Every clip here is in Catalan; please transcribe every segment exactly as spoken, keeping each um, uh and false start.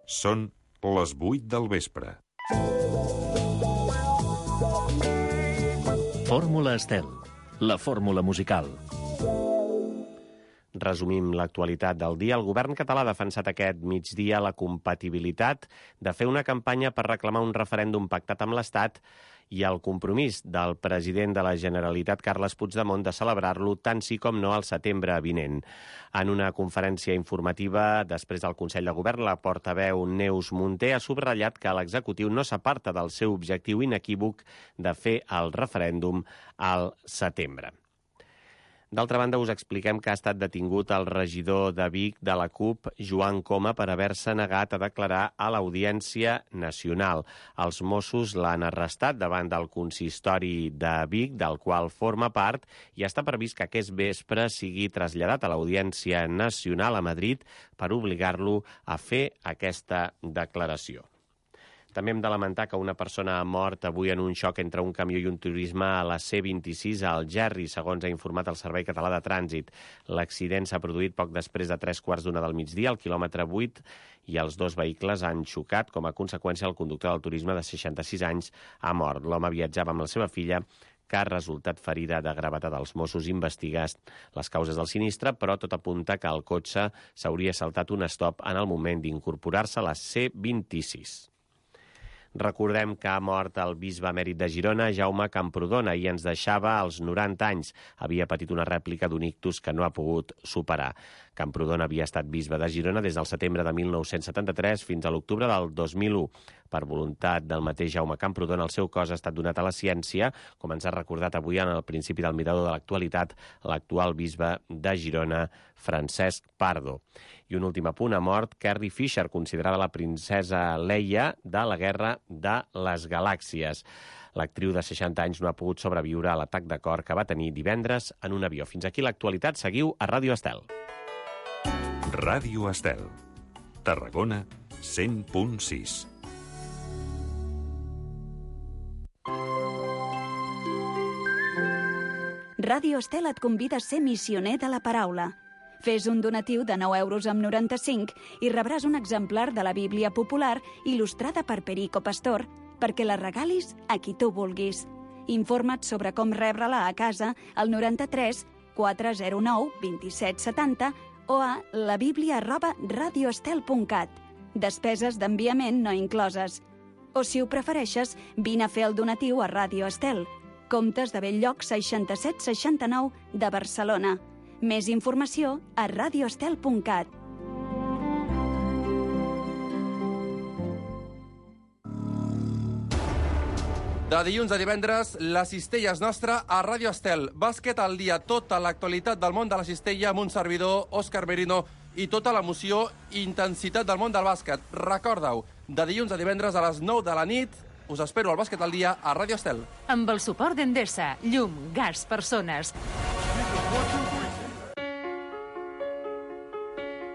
Són les vuit del vespre. Fórmula Estel, la fórmula musical. Resumim l'actualitat del dia. El govern català ha defensat aquest migdia la compatibilitat de fer una campanya per reclamar un referèndum pactat amb l'Estat i el compromís del president de la Generalitat, Carles Puigdemont, de celebrar-lo tant sí com no al setembre vinent. En una conferència informativa després del Consell de Govern, la portaveu Neus Munté ha subratllat que l'executiu no s'aparta del seu objectiu inequívoc de fer el referèndum al setembre. D'altra banda, us expliquem que ha estat detingut el regidor de Vic de la CUP, Joan Coma, per haver-se negat a declarar a l'Audiència Nacional. Els Mossos l'han arrestat davant del consistori de Vic, del qual forma part, i està previst que aquest vespre sigui traslladat a l'Audiència Nacional a Madrid per obligar-lo a fer aquesta declaració. També hem de lamentar que una persona ha mort avui en un xoc entre un camió i un turisme a la C vint-i-sis a Algerri, segons ha informat el Servei Català de Trànsit. L'accident s'ha produït poc després de tres quarts d'una del migdia, al quilòmetre vuit, i els dos vehicles han xocat. Com a conseqüència, el conductor del turisme de seixanta-sis anys ha mort. L'home viatjava amb la seva filla, que ha resultat ferida de gravetat. Els Mossos investiguen les causes del sinistre, però tot apunta que el cotxe s'hauria saltat un stop en el moment d'incorporar-se a la C vint-i-sis. Recordem que ha mort el bisbe emèrit de Girona, Jaume Camprodon, i ens deixava als noranta anys. Havia patit una rèplica d'un ictus que no ha pogut superar. Camprodon havia estat bisbe de Girona des del setembre de mil nou-cents setanta-tres fins a l'octubre del dos mil u. Per voluntat del mateix Jaume Camprodon, el seu cos ha estat donat a la ciència, com ens ha recordat avui en el principi del Mirador de l'Actualitat l'actual bisbe de Girona, Francesc Pardo. I un últim apunt, ha mort Carrie Fisher, considerada la princesa Leia de la Guerra de les Galàxies. L'actriu de seixanta anys no ha pogut sobreviure a l'atac de cor que va tenir divendres en un avió. Fins aquí l'actualitat. Seguiu a Ràdio Estel. Ràdio Estel. Tarragona, cent punt sis. Ràdio Estel et convida a ser missioner de la paraula. Fes un donatiu de nou euros amb noranta-cinc i rebràs un exemplar de la Bíblia popular il·lustrada per Perico Pastor perquè la regalis a qui tu vulguis. Informa't sobre com rebre-la a casa al noranta-tres quatre zero nou vint-i-set setanta o a la bíblia arroba radioestel punt cat. Despeses d'enviament no incloses. O, si ho prefereixes, vine a fer el donatiu a Ràdio Estel. Comtes de Bell-lloc seixanta-set seixanta-nou de Barcelona. Més informació a radioestel punt cat. De dilluns a divendres, la cistella és nostra a Ràdio Estel. Bàsquet al dia, tota l'actualitat del món de la cistella amb un servidor, Òscar Merino, i tota l'emoció i intensitat del món del bàsquet. Recorda-ho, de dilluns a divendres a les nou de la nit, us espero al Bàsquet al dia a Ràdio Estel. Amb el suport d'Endesa, llum, gas, persones.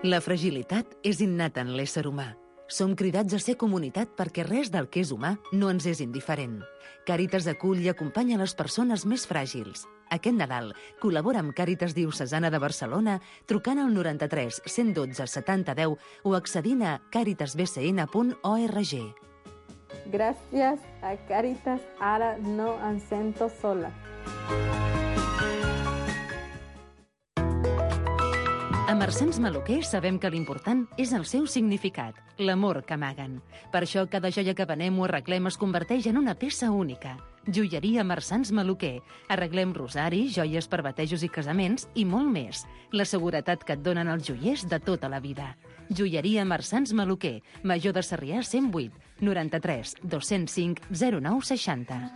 La fragilitat és innata en l'ésser humà. Som cridats a ser comunitat perquè res del que és humà no ens és indiferent. Càritas acull i acompanya les persones més fràgils. Aquest Nadal col·labora amb Càritas Diocesana de Barcelona trucant al noranta-tres cent dotze setanta deu o accedint a càritas b c n punt org. Gràcies a Càritas, ara no em sento sola. A Marsans Maluquer sabem que l'important és el seu significat, l'amor que amaguen. Per això cada joia que venem o arreglem es converteix en una peça única. Joieria Marsans Maluquer. Arreglem rosaris, joies per batejos i casaments i molt més. La seguretat que et donen els joiers de tota la vida. Joieria Marsans Maluquer. Major de Sarrià cent vuit, noranta-tres dos-cents cinc zero nou seixanta.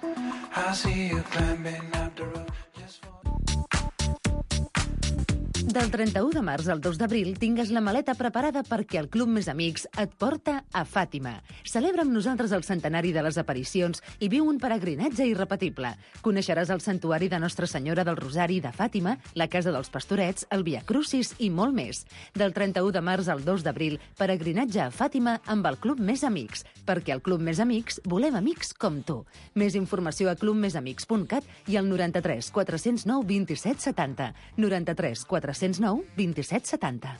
Del trenta-u de març al dos d'abril tingues la maleta preparada perquè el Club Més Amics et porta a Fàtima. Celebra amb nosaltres el centenari de les aparicions i viu un peregrinatge irrepetible. Coneixeràs el santuari de Nostra Senyora del Rosari de Fàtima, la Casa dels Pastorets, el Via Crucis i molt més. Del trenta-u de març al dos d'abril, peregrinatge a Fàtima amb el Club Més Amics, perquè al Club Més Amics volem amics com tu. Més informació a club més amics punt cat i al noranta-tres quatre-cents nou vint-i-set setanta. noranta-tres quatre-cents nou vint-i-set setanta.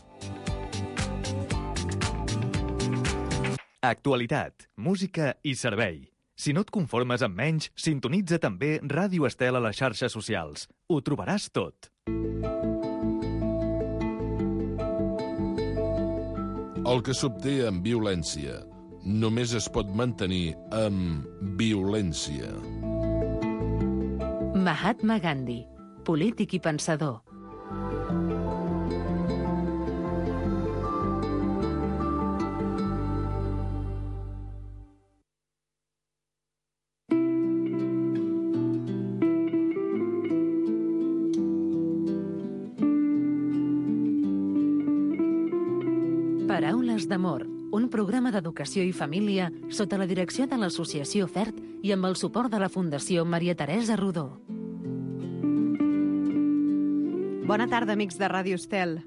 Actualitat, música i servei. Si no et conformes amb menys, sintonitza també Ràdio Estel a les xarxes socials. Ho trobaràs tot. El que s'obté amb violència només es pot mantenir amb violència. Mahatma Gandhi, polític i pensador. Paraules d'amor, un programa d'educació i família sota la direcció de l'Associació FERT i amb el suport de la Fundació Maria Teresa Rodó. Bona tarda, amics de Ràdio Estel.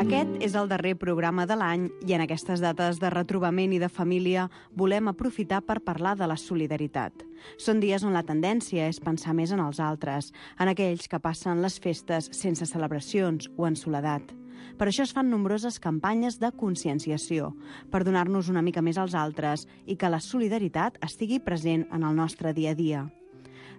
Aquest és el darrer programa de l'any i en aquestes dates de retrobament i de família volem aprofitar per parlar de la solidaritat. Són dies on la tendència és pensar més en els altres, en aquells que passen les festes sense celebracions o en soledat. Per això es fan nombroses campanyes de conscienciació, per donar-nos una mica més als altres i que la solidaritat estigui present en el nostre dia a dia.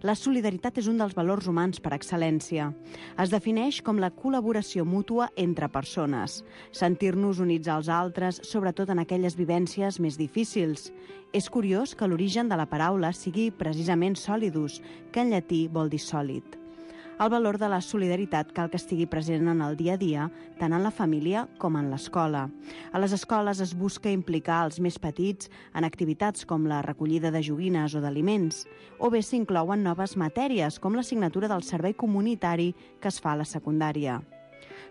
La solidaritat és un dels valors humans per excel·lència. Es defineix com la col·laboració mútua entre persones, sentir-nos units als altres, sobretot en aquelles vivències més difícils. És curiós que l'origen de la paraula sigui precisament solidus, que en llatí vol dir sòlid. El valor de la solidaritat cal que estigui present en el dia a dia, tant en la família com en l'escola. A les escoles es busca implicar els més petits en activitats com la recollida de joguines o d'aliments, o bé s'inclouen noves matèries com l'assignatura del servei comunitari que es fa a la secundària.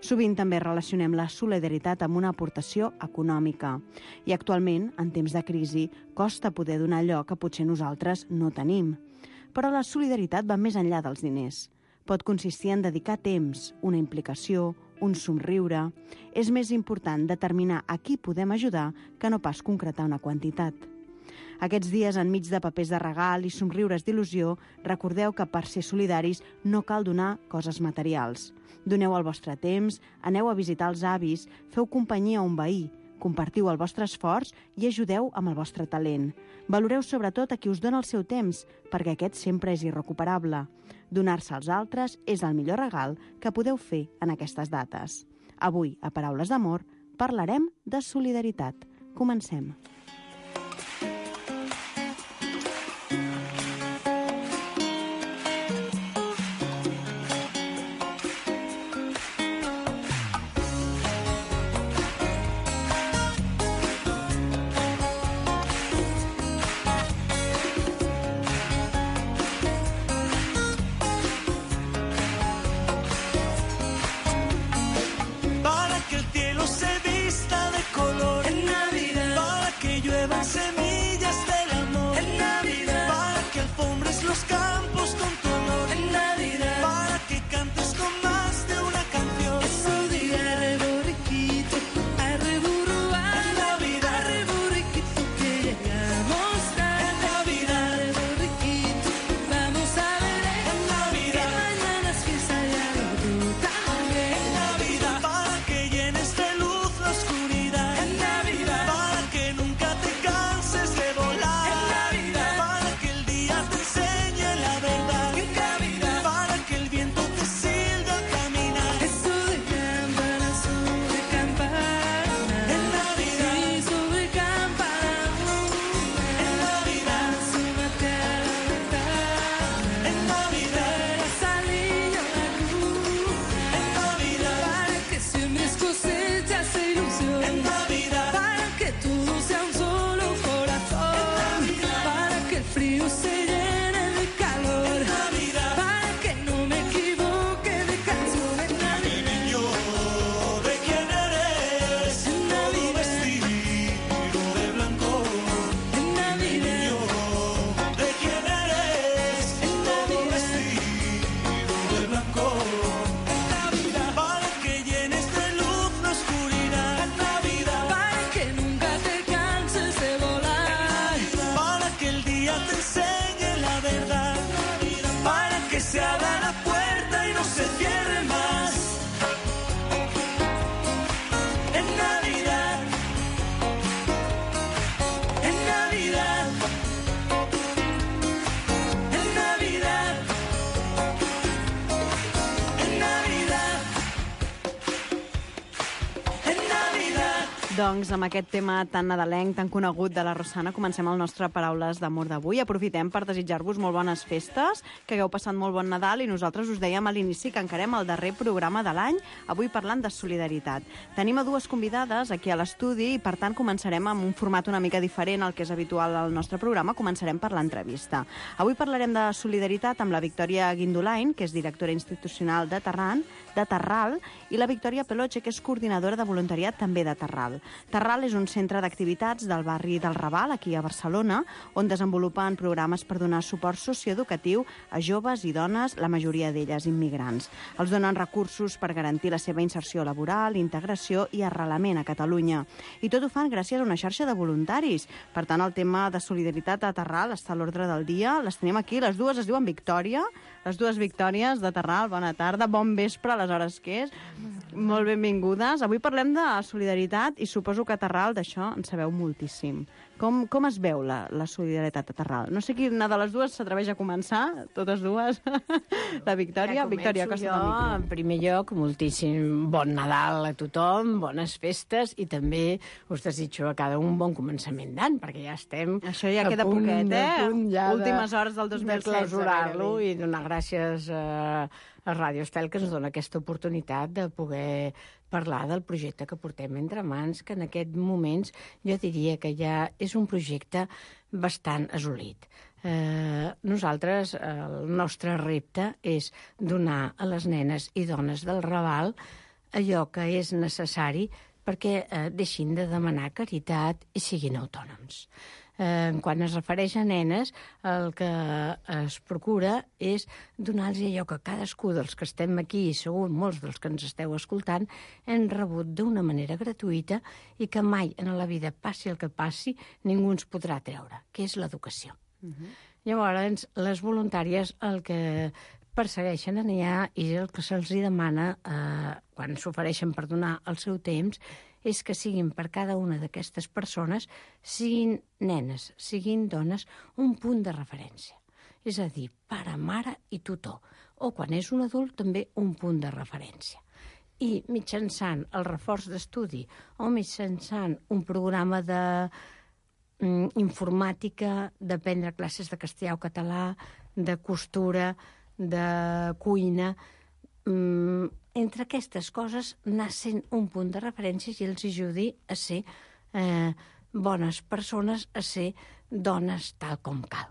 Sovint també relacionem la solidaritat amb una aportació econòmica i actualment, en temps de crisi, costa poder donar allò que potser nosaltres no tenim. Però la solidaritat va més enllà dels diners. Pot consistir en dedicar temps, una implicació, un somriure. És més important determinar a qui podem ajudar que no pas concretar una quantitat. Aquests dies, enmig de papers de regal i somriures d'il·lusió, recordeu que per ser solidaris no cal donar coses materials. Doneu el vostre temps, aneu a visitar els avis, feu companyia a un veí, compartiu el vostre esforç i ajudeu amb el vostre talent. Valoreu sobretot a qui us dona el seu temps, perquè aquest sempre és irrecuperable. Donar-se als altres és el millor regal que podeu fer en aquestes dates. Avui, a Paraules d'Amor, parlarem de solidaritat. Comencem. Para que el cielo se vista de color en Navidad, para que Doncs amb aquest tema tan nadalenc, tan conegut de la Rosana, comencem el nostre Paraules d'Amor d'avui. Aprofitem per desitjar-vos molt bones festes, que hagueu passat molt bon Nadal i nosaltres us dèiem a l'inici que encarem el darrer programa de l'any, avui parlant de solidaritat. Tenim a dues convidades aquí a l'estudi i per tant començarem amb un format una mica diferent al que és habitual al nostre programa. Començarem per l'entrevista. Avui parlarem de solidaritat amb la Victòria Guindolain, que és directora institucional de Terran, de Terral, i la Victòria Peloche, que és coordinadora de voluntariat també de Terral. Terral és un centre d'activitats del barri del Raval, aquí a Barcelona, on desenvolupen programes per donar suport socioeducatiu a joves i dones, la majoria d'elles immigrants. Els donen recursos per garantir la seva inserció laboral, integració i arrelament a Catalunya. I tot ho fan gràcies a una xarxa de voluntaris. Per tant, el tema de solidaritat a Terral està a l'ordre del dia. Les tenim aquí, les dues es diuen Victòria, les dues Victòries de Terral. Bona tarda, bon vespre a les hores que és. Molt benvingudes. Avui parlem de solidaritat i suposo que a Terral d'això en sabeu moltíssim. Com, com es veu la, la solidaritat a Terral? No sé quina de les dues s'atreveix a començar, totes dues. La Victòria. Victòria, costa del micro. En primer lloc, moltíssim bon Nadal a tothom, bones festes i també us desitjo a cada un bon començament d'any, perquè ja estem... Això ja queda punt, poquet, eh? Punt ja últimes hores del dos mil setze. De clausurar-lo i donar gràcies a, a Ràdio Estel, que ens dona aquesta oportunitat de poder parlar del projecte que portem entre mans, que en aquests moments jo diria que ja és un projecte bastant assolit. Eh, nosaltres, el nostre repte és donar a les nenes i dones del Raval allò que és necessari perquè eh, deixin de demanar caritat i siguin autònoms. Eh, quan es refereix a nenes, el que es procura és donar-los allò que cadascú dels que estem aquí, i segur molts dels que ens esteu escoltant, hem rebut d'una manera gratuïta i que mai en la vida, passi el que passi, ningú ens podrà treure, que és l'educació. Uh-huh. Llavors, les voluntàries el que persegueixen allà i el que se'ls demana eh, quan s'ofereixen per donar el seu temps és que siguin per cada una d'aquestes persones, siguin nenes, siguin dones, un punt de referència. És a dir, pare, mare i tutor. O quan és un adult, també un punt de referència. I mitjançant el reforç d'estudi o mitjançant un programa de mm, informàtica, d'aprendre classes de castellà o català, de costura, de cuina, mm, entre aquestes coses anar sent un punt de referència i els ajudi a ser eh, bones persones, a ser dones tal com cal.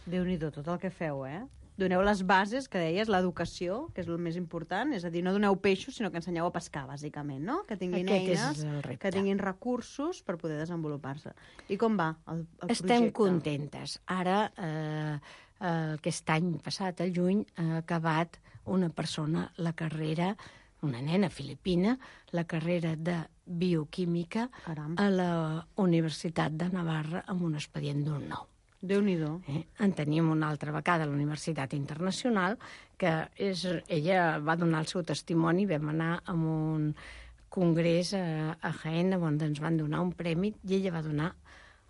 Déu-n'hi-do tot el que feu, eh? Doneu les bases, que deies, l'educació, que és el més important, és a dir, no doneu peixos, sinó que ensenyeu a pescar, bàsicament, no? Que tinguin Aquest eines, que tinguin recursos per poder desenvolupar-se. I com va el, el Estem projecte? contentes. Ara, eh, aquest any passat, al juny, ha acabat una persona la carrera, una nena filipina, la carrera de bioquímica Caram. a la Universitat de Navarra amb un expedient d'un nou. Déu-n'hi-do. Eh? En tenim una altra vegada a la Universitat Internacional, que és, ella va donar el seu testimoni, vam anar a un congrés a, a Jaén, on ens van donar un premi, i ella va donar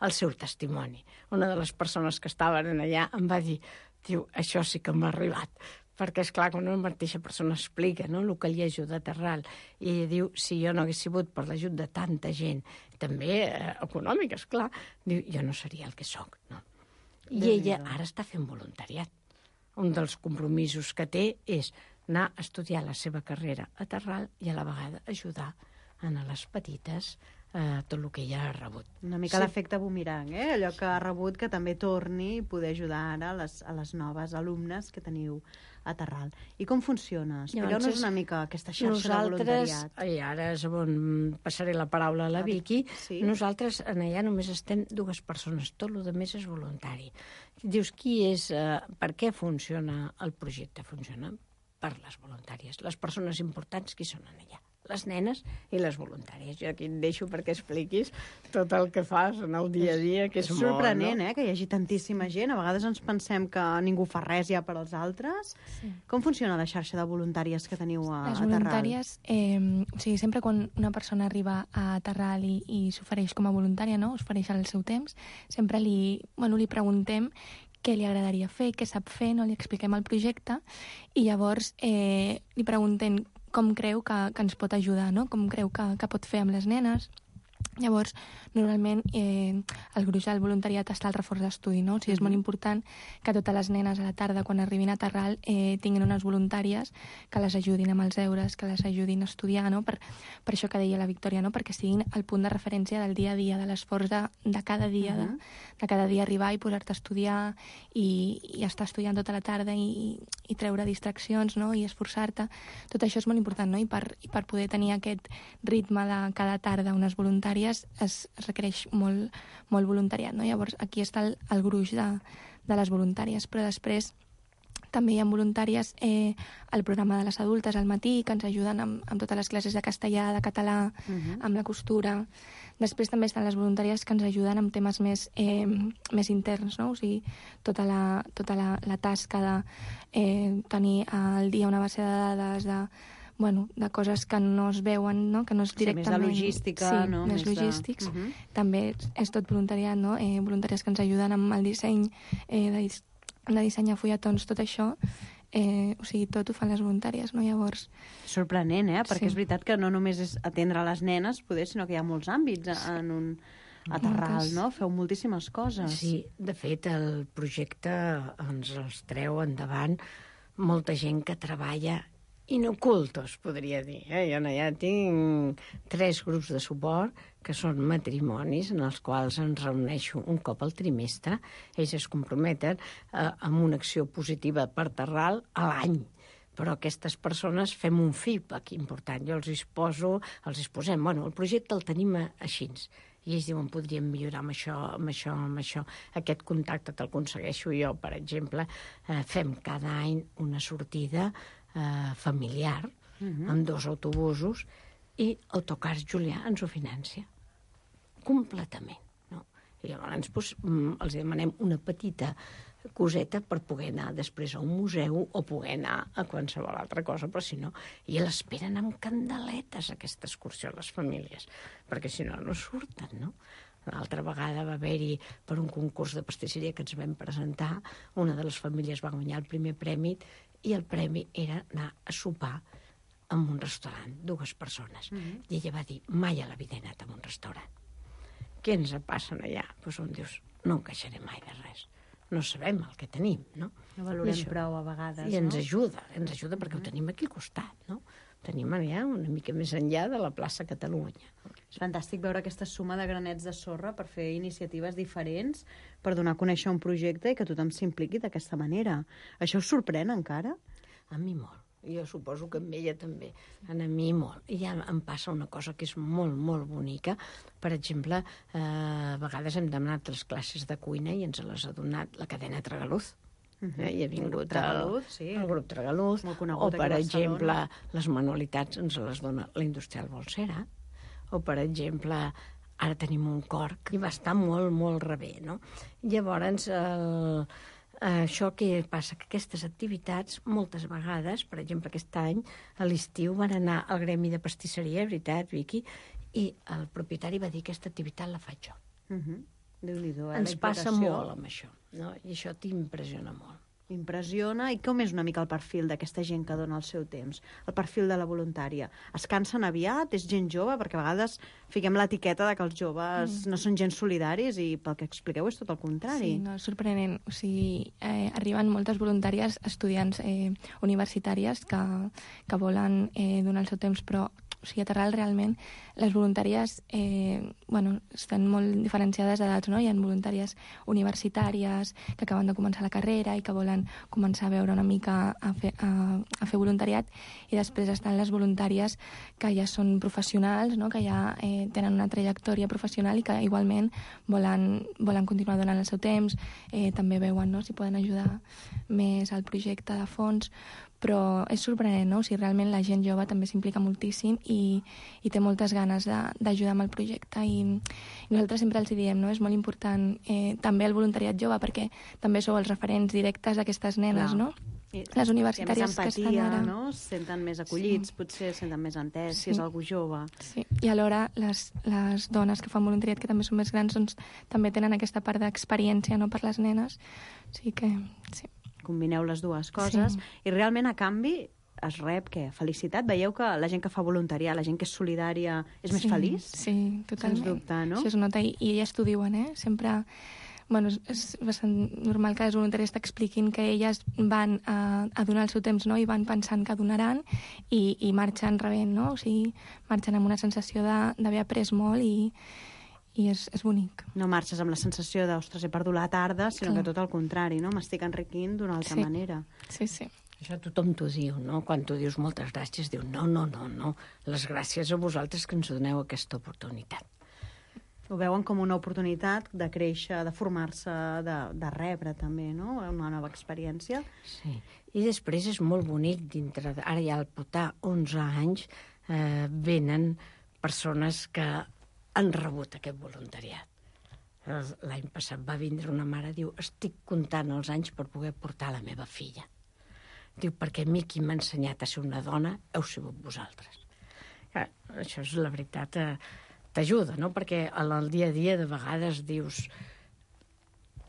el seu testimoni. Una de les persones que estaven allà em va dir, diu, això sí que m'ha arribat, perquè, és clar, quan una mateixa persona explica, no?, el que li ajuda a Terral, i ella diu, si jo no hagués sigut per l'ajut de tanta gent, també eh, econòmica, esclar, diu, jo no seria el que sóc, no? I ella ara està fent voluntariat. Un dels compromisos que té és anar a estudiar la seva carrera a Terral i a la vegada ajudar a les petites eh, tot el que ella ha rebut. Una mica sí. L'efecte bumerang, eh? Allò que ha rebut que també torni i poder ajudar ara a les, a les noves alumnes que teniu a Terral. I com funciona? Expliqueu-nos una mica aquesta xarxa de voluntariat. I ara és on passaré la paraula a la Vicky. Sí. Nosaltres allà només estem dues persones, tot el més és voluntari. Dius, qui és, eh, per què funciona el projecte? Funciona per les voluntàries. Les persones importants, qui són allà? Les nenes i les voluntàries. Jo aquí et deixo perquè expliquis tot el que fas en el dia a dia, que és, és molt, sorprenent, no? eh, que hi hagi tantíssima gent. A vegades ens pensem que ningú fa res ja per als altres. Sí. Com funciona la xarxa de voluntàries que teniu a, les a Terral? Voluntàries, eh, o sigui, sempre quan una persona arriba a Terral i, i s'ofereix com a voluntària, no?, s'ofereix el seu temps, sempre li, bueno, li preguntem què li agradaria fer, què sap fer, no? Li expliquem el projecte i llavors eh, li preguntem com creu que, que ens pot ajudar, no? Com creu que, que pot fer amb les nenes. Llavors, normalment, eh, el gruix del voluntariat està al reforç d'estudi, no? O sigui, és molt important que totes les nenes a la tarda, quan arribin a Terral, eh, tinguin unes voluntàries que les ajudin amb els deures, que les ajudin a estudiar, no? Per, per això que deia la Victòria, no? Perquè siguin el punt de referència del dia a dia, de l'esforç de, de cada dia, uh -huh. de, de cada dia arribar i posar-te a estudiar i, i estar estudiant tota la tarda i, i treure distraccions, no? I esforçar-te. Tot això és molt important, no? I per, i per poder tenir aquest ritme de cada tarda unes voluntàries es, es requereix molt, molt voluntariat, no? Llavors, aquí està el, el gruix de, de les voluntàries, però després també hi ha voluntàries eh, al programa de les adultes al matí, que ens ajuden amb, amb totes les classes de castellà, de català, uh-huh. amb la costura. Després també estan les voluntàries que ens ajuden amb temes més, eh, més interns, no? O sigui, tota la, tota la, la tasca de eh, tenir al dia una base de dades, de bueno, de coses que no es veuen, no? Que no és directament... Sí, més de logística, sí, no? més, més logístics. De... Uh -huh. També és tot voluntariat, no? Eh, voluntàries que ens ajuden amb el disseny, eh, de, de dissenyar fulletons, tot això. Eh, o sigui, tot ho fan les voluntàries, no? Llavors... Sorprenent, eh? Perquè sí. és veritat que no només és atendre les nenes, poder, sinó que hi ha molts àmbits en un... a Terral, no? Feu moltíssimes coses. Sí, de fet, el projecte ens els treu endavant molta gent que treballa inocultos, podria dir. Eh? Jo ja tinc tres grups de suport que són matrimonis en els quals ens reuneixo un cop al trimestre. Ells es comprometen eh, amb una acció positiva per Terral a l'any. Però aquestes persones fem un feedback important. Jo els exposo, els exposem. Bueno, el projecte el tenim així. I ells diuen, podríem millorar amb això, amb això, amb això. Aquest contacte te'l aconsegueixo jo, per exemple. Eh, fem cada any una sortida eh, familiar, uh-huh. amb dos autobusos, i Autocars Julià ens ho financia. Completament. No? I llavors doncs, els demanem una petita coseta per poder anar després a un museu o poder anar a qualsevol altra cosa, però si no, i l'esperen amb candeletes aquesta excursió a les famílies, perquè si no, no surten, no? L'altra vegada va haver-hi, per un concurs de pastisseria que ens vam presentar, una de les famílies va guanyar el primer premi i el premi era anar a sopar en un restaurant, dues persones. Mm-hmm. I ella va dir, mai a la vida he anat a un restaurant. Què ens passen allà? Doncs on dius, no em queixaré mai de res. No sabem el que tenim, no? No valorem això, prou a vegades, I no? ens ajuda, ens ajuda perquè mm-hmm. ho tenim aquí al costat, no? Ho tenim allà una mica més enllà de la plaça Catalunya. És fantàstic veure aquesta suma de granets de sorra per fer iniciatives diferents, per donar a conèixer un projecte i que tothom s'impliqui d'aquesta manera. Això us sorprèn encara? A mi molt. Jo suposo que amb ella també. A mi molt. I ja em passa una cosa que és molt, molt bonica. Per exemple, eh, a vegades hem demanat les classes de cuina i ens les ha donat la cadena Tragaluz. Uh-huh. eh? I ha vingut el, Tragaluz, sí. el grup Tragaluz. Molt conegut o, per aquí a exemple, Barcelona. les manualitats ens les dona la Industrial Bolsera. O, per exemple, ara tenim un cor que va estar molt, molt rebé, no? Llavors, el... això que passa, que aquestes activitats, moltes vegades, per exemple, aquest any, a l'estiu van anar al gremi de pastisseria, veritat, Vicky, i el propietari va dir, aquesta activitat la faig jo. Uh-huh. Déu-n'hi-do, eh? Ens passa molt amb això, no? I això t'impressiona molt. Impressiona. I com és una mica el perfil d'aquesta gent que dona el seu temps? El perfil de la voluntària. Es cansen aviat? És gent jove? Perquè a vegades fiquem l'etiqueta de que els joves mm. no són gens solidaris i pel que expliqueu és tot el contrari. Sí, no, és sorprenent. O sigui, eh, arriben moltes voluntàries, estudiants eh, universitàries que, que volen eh, donar el seu temps, però o sigui, a Terral realment les voluntàries eh, bueno, estan molt diferenciades d'edats, no? Hi ha voluntàries universitàries que acaben de començar la carrera i que volen començar a veure una mica a fer, a, a fer voluntariat, i després estan les voluntàries que ja són professionals, no? Que ja eh, tenen una trajectòria professional i que igualment volen, volen continuar donant el seu temps, eh, també veuen, no? Si poden ajudar més al projecte de fons, però és sorprenent, no? O sigui, realment la gent jove també s'implica moltíssim i, i té moltes ganes d'ajudar amb el projecte, i, i nosaltres sempre els diem, no? És molt important eh, també el voluntariat jove, perquè també sou els referents directes d'aquestes nenes, clar, no? I, les universitàries empatia, que estan ara... no? Es senten més acollits, sí. Potser es senten més entès, sí. Si és algú jove. Sí, i alhora les, les dones que fan voluntariat, que també són més grans, doncs també tenen aquesta part d'experiència, no?, per les nenes. O sigui que, sí. Combineu les dues coses, sí. I realment a canvi es rep, què? Felicitat? Veieu que la gent que fa voluntariat, la gent que és solidària, és més sí, feliç? Sí, totalment. Sens dubte, no? Això es nota, i, i elles t'ho diuen, eh? Sempre... Bueno, és, és bastant normal que les voluntàries t'expliquin que elles van a, a donar el seu temps, no?, i van pensant que donaran i, i marxen rebent, no? O sigui, marxen amb una sensació de- d'haver après molt i, i és, és bonic. No marxes amb la sensació de, ostres, he perdut la tarda, sinó Clar. que tot el contrari, no? M'estic enriquint d'una altra Sí. manera. Sí, sí. Això tothom t'ho diu, no? Quan tu dius moltes gràcies, diu no, no, no, no. Les gràcies a vosaltres que ens doneu aquesta oportunitat. Ho veuen com una oportunitat de créixer, de formar-se, de, de rebre també, no? Una nova experiència. Sí. I després és molt bonic dintre... De... Ara ja al portar onze anys eh, venen persones que han rebut aquest voluntariat. L'any passat va vindre una mare, diu, estic comptant els anys per poder portar la meva filla. Diu, perquè a mi qui m'ha ensenyat a ser una dona heu sigut vosaltres. Clar, això és la veritat, eh, t'ajuda, no? Perquè en el dia a dia de vegades dius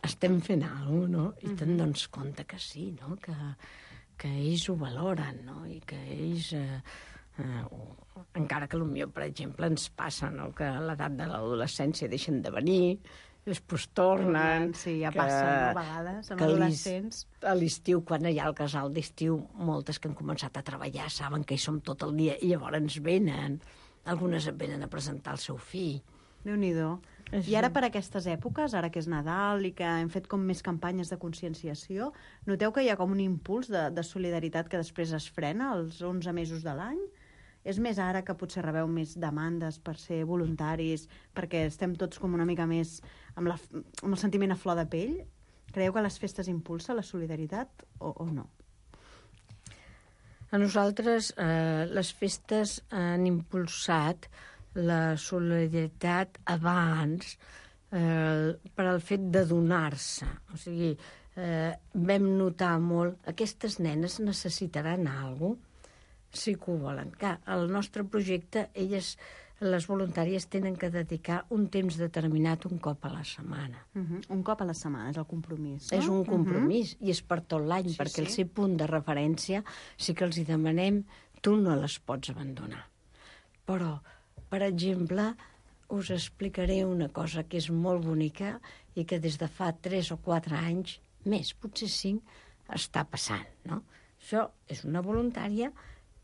estem fent alguna cosa, no? I te'n dones compte que sí, no? Que, que ells ho valoren, no? I que ells... Eh, eh, encara que potser, per exemple, ens passa, no?, que a l'edat de l'adolescència deixen de venir, després tornen... Sí, ja que- passa, no?, a vegades, amb que a l'is- adolescents. A l'estiu, quan hi ha el casal d'estiu, moltes que han començat a treballar saben que hi som tot el dia i llavors ens venen. Algunes et venen a presentar el seu fill. Déu-n'hi-do. I ara per aquestes èpoques, ara que és Nadal i que hem fet com més campanyes de conscienciació, noteu que hi ha com un impuls de, de solidaritat que després es frena els onze mesos de l'any? És més ara que potser rebeu més demandes per ser voluntaris, perquè estem tots com una mica més amb, la, amb el sentiment a flor de pell? Creieu que les festes impulsa la solidaritat o, o no? A nosaltres eh, les festes han impulsat la solidaritat abans eh, per al fet de donar-se. O sigui, eh, vam notar molt aquestes nenes necessitaran alguna cosa, sí que ho volen. Clar, el nostre projecte, elles, les voluntàries, tenen que dedicar un temps determinat un cop a la setmana. Uh -huh. Un cop a la setmana, és el compromís, no? És un compromís, uh -huh. i és per tot l'any, Sí, perquè sí. el seu punt de referència sí que els hi demanem, tu no les pots abandonar. Però, per exemple, us explicaré una cosa que és molt bonica i que des de fa tres o quatre anys, més, potser cinc, està passant, no? Això és una voluntària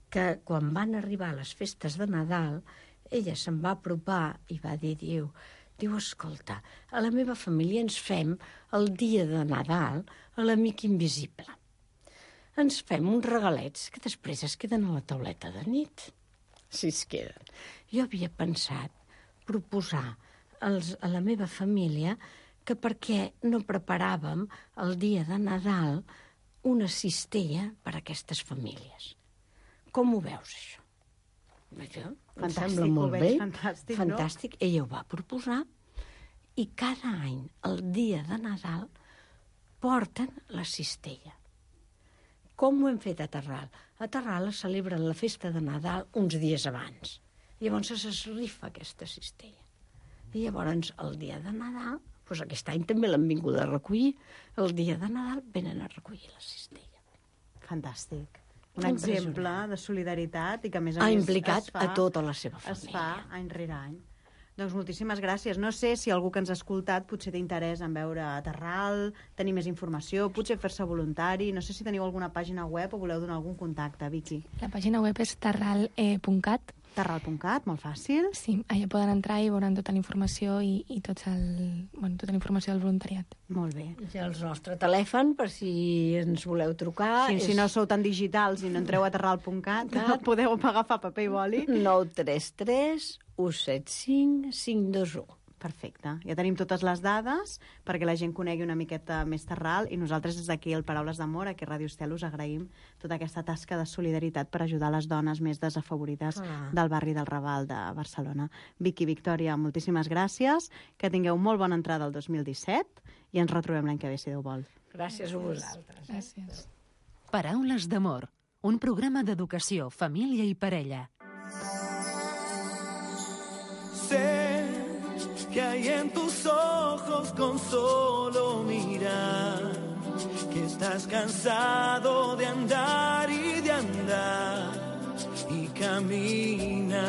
que quan van arribar les festes de Nadal, ella se'n va apropar i va dir, diu, diu, escolta, a la meva família ens fem el dia de Nadal a l'amic invisible. Ens fem uns regalets que després es queden a la tauleta de nit. Si es queden. Jo havia pensat proposar als, a la meva família que per què no preparàvem el dia de Nadal una cistella per a aquestes famílies. Com ho veus, això? Això em Fantàstic, sembla molt ho veig bé. fantàstic, no? Fantàstic. Ella ho va proposar i cada any, el dia de Nadal, porten la cistella. Com ho hem fet a Terral? A Terral es celebren la festa de Nadal uns dies abans. Llavors es rifa aquesta cistella. I llavors, el dia de Nadal, doncs aquest any també l'han vingut a recollir, el dia de Nadal venen a recollir la cistella. Fantàstic. Un exemple de solidaritat i que, a més a Ha més, implicat es fa, a tota la seva es família. fa any rere any. Doncs moltíssimes gràcies. No sé si algú que ens ha escoltat potser té interès en veure a Terral, tenir més informació, potser fer-se voluntari. No sé si teniu alguna pàgina web o voleu donar algun contacte, Vicky. La pàgina web és terral punt cat. terral punt cat, molt fàcil. Sí, allà poden entrar i veuran tota la informació i, i tots el, bueno, tota la informació del voluntariat. Molt bé. I el nostre telèfon, per si ens voleu trucar... Sí, és si no sou tan digitals i no entreu a terral punt cat, podeu agafar paper i boli. nou tres tres u set cinc cinc dos u. Perfecte. Ja tenim totes les dades perquè la gent conegui una miqueta més Terral i nosaltres des d'aquí, el Paraules d'Amor, aquí a Ràdio Estel, us agraïm tota aquesta tasca de solidaritat per ajudar les dones més desafavorides Ah. del barri del Raval de Barcelona. Vicky, Victòria, moltíssimes gràcies, que tingueu molt bona entrada al dos mil disset i ens retrobem l'any que ve, si Déu vol. Gràcies a vosaltres. Gràcies. Paraules d'Amor, un programa d'educació, família i parella. Sé que hay en tus ojos con solo mirar, que estás cansado de andar y de andar y camina,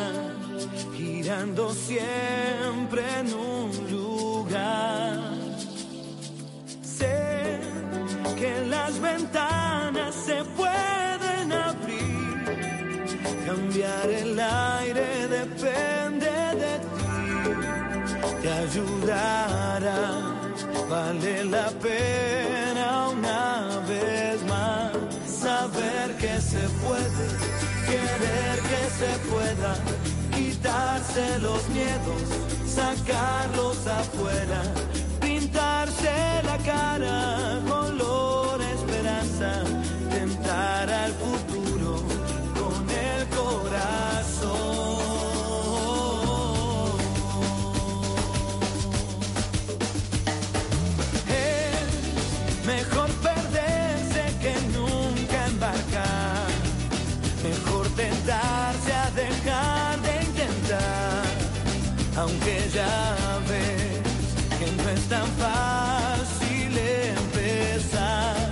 girando siempre en un lugar. Sé que las ventanas se pueden abrir, cambiar el aire depende de ti, te ayudará, vale la pena una vez más saber que se puede, querer que se pueda, quitarse los miedos, sacarlos afuera, pintarse la cara, color esperanza, tentar al futuro con el corazón. Es mejor perderse que nunca embarcar, mejor tentarse a dejar de intentar, aunque ya ves que no es tan fácil empezar.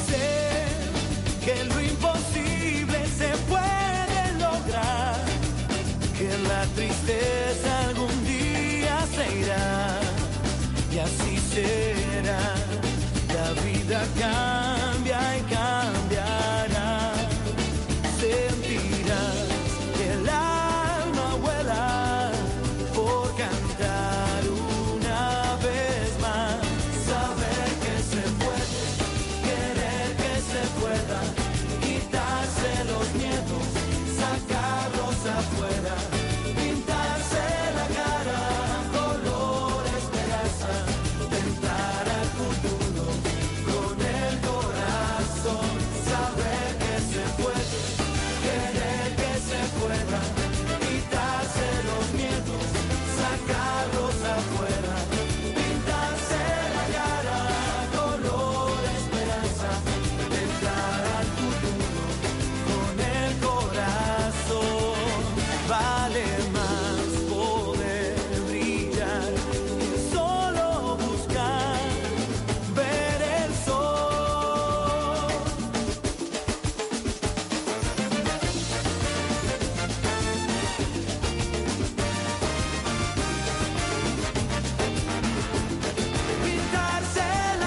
Sé que lo imposible se puede lograr, que la tristeza algún día se irá, y así será, la vida cambia y cambiará, sentirás que el alma vuela por cantar una vez más, saber que se puede, querer que se pueda, quitarse los miedos, sacarlos afuera, pintarse la cara, color esperanza, tentar al futuro con el corazón, saber que se puede, querer que se pueda, quitarse los miedos, sacarlos afuera, pintarse la cara, color esperanza, tentar al futuro con el corazón. Vale más poder brillar que solo buscar ver el sol.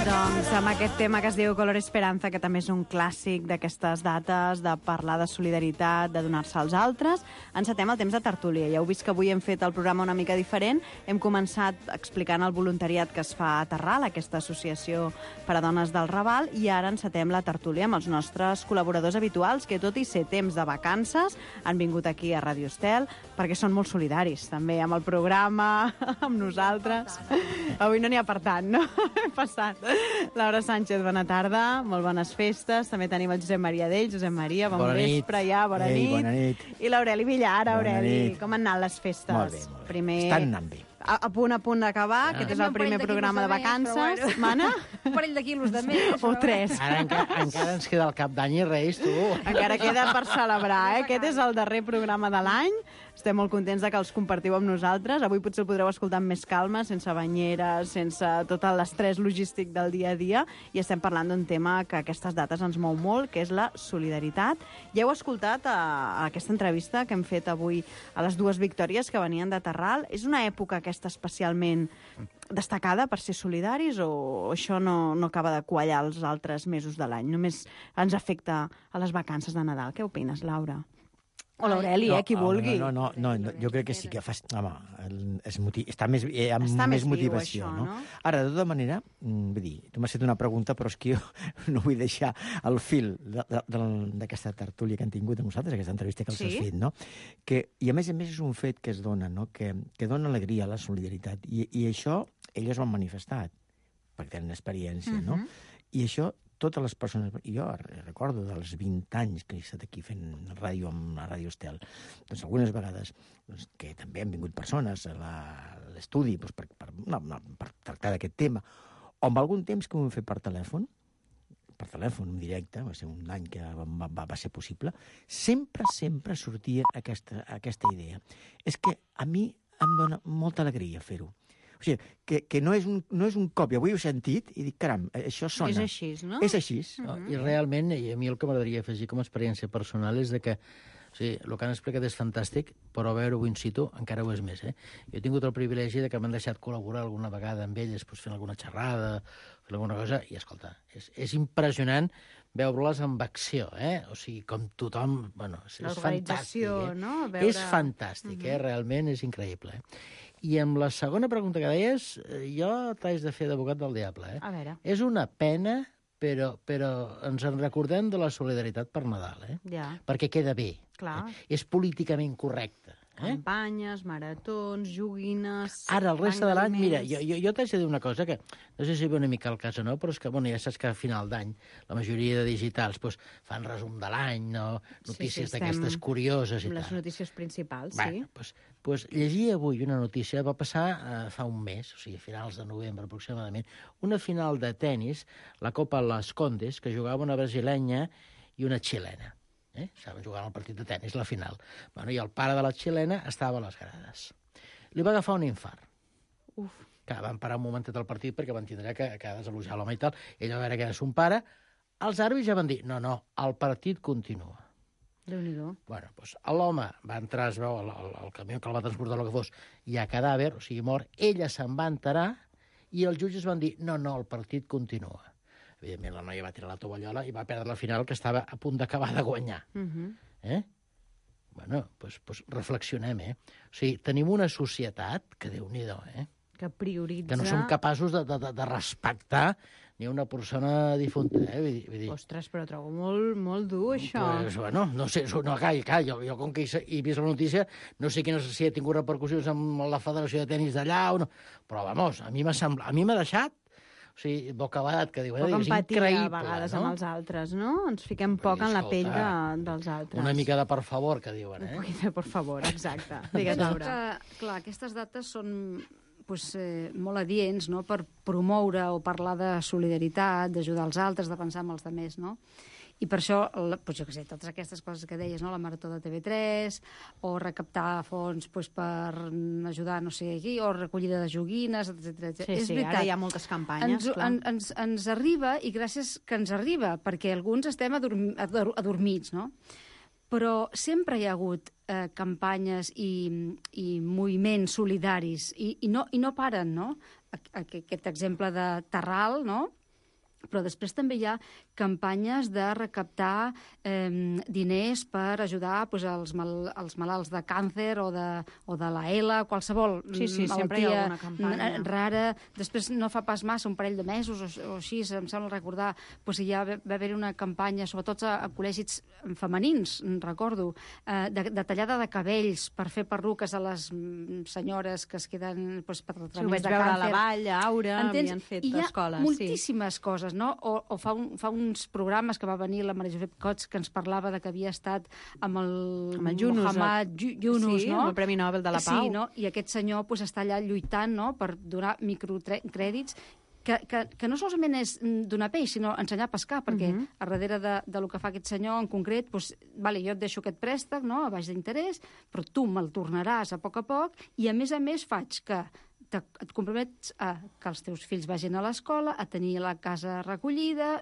Doncs amb aquest tema que es diu Color Esperanza, que també és un clàssic d'aquestes dates, de parlar de solidaritat, de donar-se als altres, encetem el temps de tertúlia. Ja heu vist que avui hem fet el programa una mica diferent. Hem començat explicant el voluntariat que es fa a Terral, aquesta associació per a dones del Raval, i ara encetem la tertúlia amb els nostres col·laboradors habituals, que tot i ser temps de vacances, han vingut aquí a Ràdio Estel, perquè són molt solidaris, també amb el programa, amb nosaltres. Avui no n'hi ha per tant, no? Hem passat. Laura Sánchez, bona tarda, molt bones festes. També tenim el Josep Maria Dell. Josep Maria, bon bona vespre nit. ja, bona, Ei, nit. bona nit. I l'Aureli Villar, Aureli, nit. com han anat les festes? Molt bé, molt bé. Primer... Estan anant bé. A, a punt a punt d'acabar, Ah. aquest és el primer programa de vacances. Bueno. Mana? Un parell de quilos de més. O tres. Ara encara, encara ens queda el cap d'any i reis, tu. Encara queda per celebrar, eh? Aquest és el darrer programa de l'any. Estem molt contents de que els compartiu amb nosaltres. Avui potser el podreu escoltar amb més calma, sense banyeres, sense tot l'estrès logístic del dia a dia, i estem parlant d'un tema que aquestes dates ens mou molt, que és la solidaritat. Ja heu escoltat a, a aquesta entrevista que hem fet avui a les dues victòries que venien de Terral. És una època aquesta especialment destacada per ser solidaris, o això no, no acaba de quallar els altres mesos de l'any? Només ens afecta a les vacances de Nadal. Què opines, Laura? O l'Aureli, eh, qui vulgui. No, no, no, no, jo crec que sí que fa... Home, és motiv, està més, eh, amb Està més més viu, motivació, això, no? no? Ara, de tota manera, mm, vull dir, tu m'has fet una pregunta, però és que jo no vull deixar el fil de- de- de- d'aquesta tertúlia que han tingut amb nosaltres, aquesta entrevista que els Sí. has fet, no? Que, I a més a més és un fet que es dona, no? Que, que dona alegria a la solidaritat. I, i això elles ho han manifestat, perquè tenen experiència, no? Mhm. I això totes les persones... Jo recordo dels vint anys que he estat aquí fent ràdio amb la Ràdio Estel. Doncs algunes vegades doncs, que també han vingut persones a la- a l'estudi doncs, per, per, no, no, per tractar d'aquest tema, o amb algun temps que ho hem fet per telèfon, per telèfon, en directe, va ser un any que va, va, va ser possible, sempre, sempre sortia aquesta, aquesta idea. És que a mi em dona molta alegria fer-ho. O sigui, que, que no, és un, no és un cop, jo avui ho he sentit i dic, caram, això sona. És així, no? És així. No, I realment, i a mi el que m'agradaria afegir com a experiència personal és de que o sigui, el que han explicat és fantàstic, però veure-ho in situ encara ho és més. Eh? Jo he tingut el privilegi de que m'han deixat col·laborar alguna vegada amb elles, doncs, fent alguna xerrada, fent alguna cosa, i escolta, és, és impressionant veure-les amb acció, eh? O sigui, com tothom... Bueno, és, és fantàstic, eh? No? Veure... És fantàstic, uh-huh. eh? Realment és increïble. Eh? I amb la segona pregunta que deies, jo t'haig de fer d'abogat del diable. Eh? A veure. És una pena, però, però ens en recordem de la solidaritat per Nadal, eh? Ja. Perquè queda bé. Clar. Eh? És políticament correcte. Eh? Campanyes, maratons, joguines... Ara, el reste de l'any, mira, jo, jo, jo t'haig de dir una cosa que no sé si ve una mica al cas o no, però és que, bueno, ja saps que a final d'any la majoria de digitals pues, fan resum de l'any, no? Notícies sí, sí, d'aquestes curioses i les tal. Les notícies principals, bueno, sí. Pues, pues, llegir avui una notícia, va passar eh, fa un mes, o sigui, a finals de novembre aproximadament, una final de tennis, la Copa Las Condes, que jugava una brasilenya i una xilena. Eh? Estaven jugant el partit de tennis, la final. Bueno, i el pare de la xilena estava a les grades. Li va agafar un infart. Uf. Que van parar un momentet al partit perquè van tindre que, que desalojar l'home i tal. Ell va veure que era son pare. Els àrbitres ja van dir, no, no, el partit continua. Déu-n'hi-do. Bueno, doncs l'home va entrar, es veu, el, el, el camió que el va transportar, el que fos, hi ha cadàver, o sigui, mort. Ella se'n va enterar i els jutges van dir, no, no, el partit continua. Evidentment, la noia va tirar la tovallola i va perdre la final, que estava a punt d'acabar de guanyar. Uh-huh. Eh? Bueno, doncs, doncs reflexionem, eh? O sigui, tenim una societat que, Déu-n'hi-do, eh? Que prioritza... Que no som capaços de, de, de respectar ni una persona difunta, eh? Vull dir, vull dir... Ostres, però trobo molt, molt dur, això. Pues, bueno, no sé, no, calla, calla, jo, jo com que he, he vist la notícia, no sé quina, si ha tingut repercussions amb la Federació de Tenis d'allà o no, però, vamos, a mi m'ha semblat, a mi m'ha deixat, o sigui, bocabadat, que diu, eh, és increïble, a vegades no? amb els altres, no? Ens fiquem poc en la pell de, dels altres. Una mica de per favor, que diuen, eh? Un poquet de per favor, exacte. Digues, Laura. Que, clar, aquestes dates són pues, eh, molt adients, no?, per promoure o parlar de solidaritat, d'ajudar els altres, de pensar en els altres, no? I per això, pues, jo què sé, totes aquestes coses que deies, no?, la Marató de T V tres, o recaptar fons pues, per ajudar, no sé, aquí, o recollida de joguines, etcètera. Sí, és sí, veritat. Ara hi ha moltes campanyes, ens, clar. En, ens, ens arriba, i gràcies que ens arriba, perquè alguns estem adorm, ador, adormits, no? Però sempre hi ha hagut eh, campanyes i, i moviments solidaris, i, i, no, i no paren, no? Aquest exemple de Terral, no?, però després també hi ha campanyes de recaptar eh, diners per ajudar pues, els, mal, els malalts de càncer o de, o de la E L A, qualsevol sí, sí, sempre hi ha alguna campanya rara. Després no fa pas massa, un parell de mesos o, o així, em sembla recordar, pues, hi ha, va haver una campanya, sobretot a, a col·legis femenins, recordo, eh, de, de tallada de cabells per fer perruques a les senyores que es queden pues, per tractaments sí, ho vaig de veure càncer. A la Vall, a Aura, Entens? havien fet I hi ha escoles. moltíssimes sí. coses, no? O, o fa, un, fa uns programes que va venir la Maria Josep Cots que ens parlava de que havia estat amb el, amb el Yunus, Mohamed Yunus, sí, no? amb el Premi Nobel de la Pau. Sí, no? I aquest senyor pues, està allà lluitant, no?, per donar microcrèdits que, que, que no solament és donar peix, sinó ensenyar a pescar, perquè uh-huh. a darrere de, de lo que fa aquest senyor en concret, pues, vale, jo et deixo aquest préstec, no?, a baix d'interès, però tu me'l tornaràs a poc a poc, i a més a més faig que te, et compromets a que els teus fills vagin a l'escola, a tenir la casa recollida,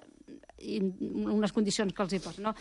i unes condicions que els hi posen, no?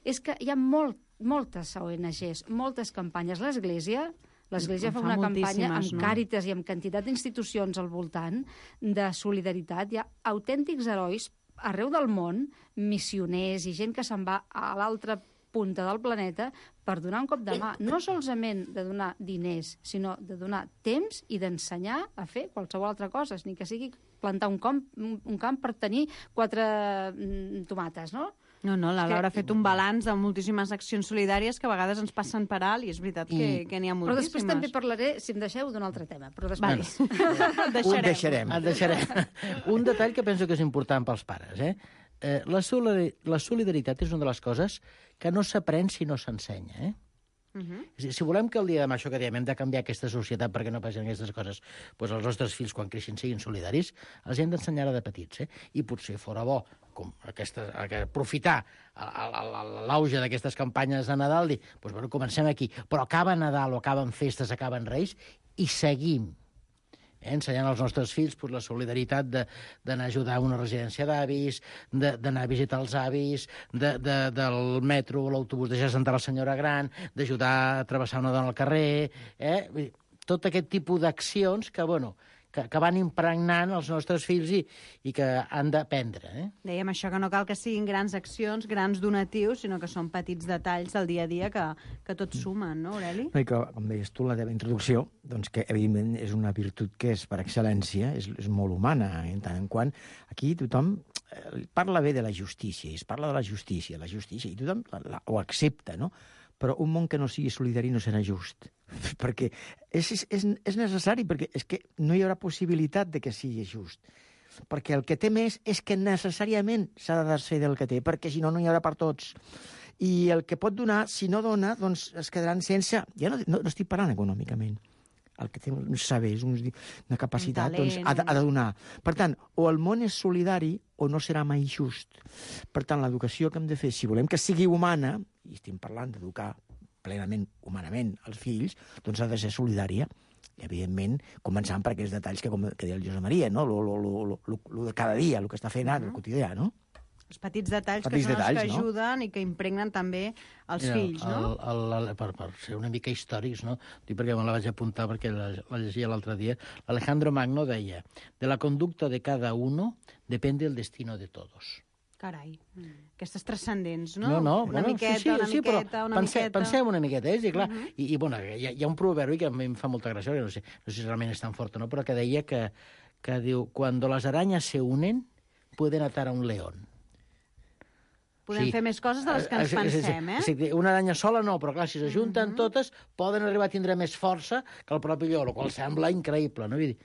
És que hi ha molt, moltes O N Ges, moltes campanyes. L'Església l'Església fa, fa una campanya amb no? Càritas i amb quantitat d'institucions al voltant de solidaritat. Hi ha autèntics herois arreu del món, missioners i gent que se'n va a l'altra punta del planeta per donar un cop de mà, no solament de donar diners, sinó de donar temps i d'ensenyar a fer qualsevol altra cosa, ni que sigui plantar un camp, un camp per tenir quatre mm, tomates, no? No, no, la Laura ha fet un balanç de moltíssimes accions solidàries que a vegades ens passen per alt i és veritat que, I... que n'hi ha moltíssimes. Però després també parlaré, si em deixeu, d'un altre tema. Però després... Vale. deixarem. Un deixarem. Et deixarem. Un detall que penso que és important pels pares, eh? Eh, la, solidar la solidaritat és una de les coses que no s'aprèn si no s'ensenya, eh? Uh-huh. Si, si volem que el dia de demà, això que diem, hem de canviar aquesta societat perquè no passin aquestes coses, doncs els nostres fills, quan creixin, siguin solidaris, els hem d'ensenyar de petits, eh? I potser fora bo com aquesta, aprofitar l'auge d'aquestes campanyes de Nadal, dir, doncs, bueno, comencem aquí, però acaba Nadal o acaben festes, acaben Reis, i seguim. eh, ensenyant als nostres fills pues, la solidaritat d'anar a ajudar a una residència d'avis, d'anar a visitar els avis, de, de, del metro o l'autobús, deixar sentar la senyora gran, d'ajudar a travessar una dona al carrer... Eh? Vull dir, tot aquest tipus d'accions que, bueno, que, que van impregnant els nostres fills i, i que han d'aprendre. Eh? Dèiem això, que no cal que siguin grans accions, grans donatius, sinó que són petits detalls del dia a dia que, que tots sumen, no, Aureli? No, i que, com deies tu, la teva introducció, doncs que, evidentment, és una virtut que és, per excel·lència, és, és molt humana, eh? En tant en quant aquí tothom eh, parla bé de la justícia, i es parla de la justícia, la justícia, i tothom la, la, ho accepta, no? Però un món que no sigui solidari no serà just, perquè és, és, és necessari, perquè és que no hi haurà possibilitat de que sigui just. Perquè el que té més és que necessàriament s'ha de desfer del que té, perquè si no, no hi haurà per tots. I el que pot donar, si no dona, doncs es quedaran sense... Ja no, no, no estic parlant econòmicament. El que té uns sabers, uns, una capacitat, un talent, doncs ha de, ha de donar. Per tant, o el món és solidari o no serà mai just. Per tant, l'educació que hem de fer, si volem que sigui humana, i estem parlant d'educar plenament, humanament, els fills, doncs ha de ser solidària. I, evidentment, començant per aquests detalls que, com que deia el Josep Maria, no? Lo, lo, lo, lo, lo de cada dia, el que està fent ara, el quotidià, no? Els petits detalls petits que són detalls, els que no? ajuden i que impregnen també els Mira, fills, no? El, el, el, per, per ser una mica històrics, no? Dic perquè me la vaig apuntar perquè la, la llegia l'altre dia. Alejandro Magno deia: de la conducta de cada uno depende el destino de todos. Carai, mm. aquestes transcendents, no? No, no, una bueno, miqueta, sí, sí, una sí, miqueta, però una pense, miqueta... Pensem una miqueta, eh? Sí, clar. Uh -huh. I, i bueno, hi ha, hi ha un proverbi que a mi em fa molta gràcia, no sé, no sé si realment és tan fort o no, però que deia que, que diu, cuando las arañas se unen, pueden atar a un león. Podem sí. fer més coses de les que ens pensem, eh? Sí, sí, una aranya sola no, però clar, si s'ajunten uh -huh. totes, poden arribar a tindre més força que el propi lleó, el qual sembla increïble, no? Vull dir,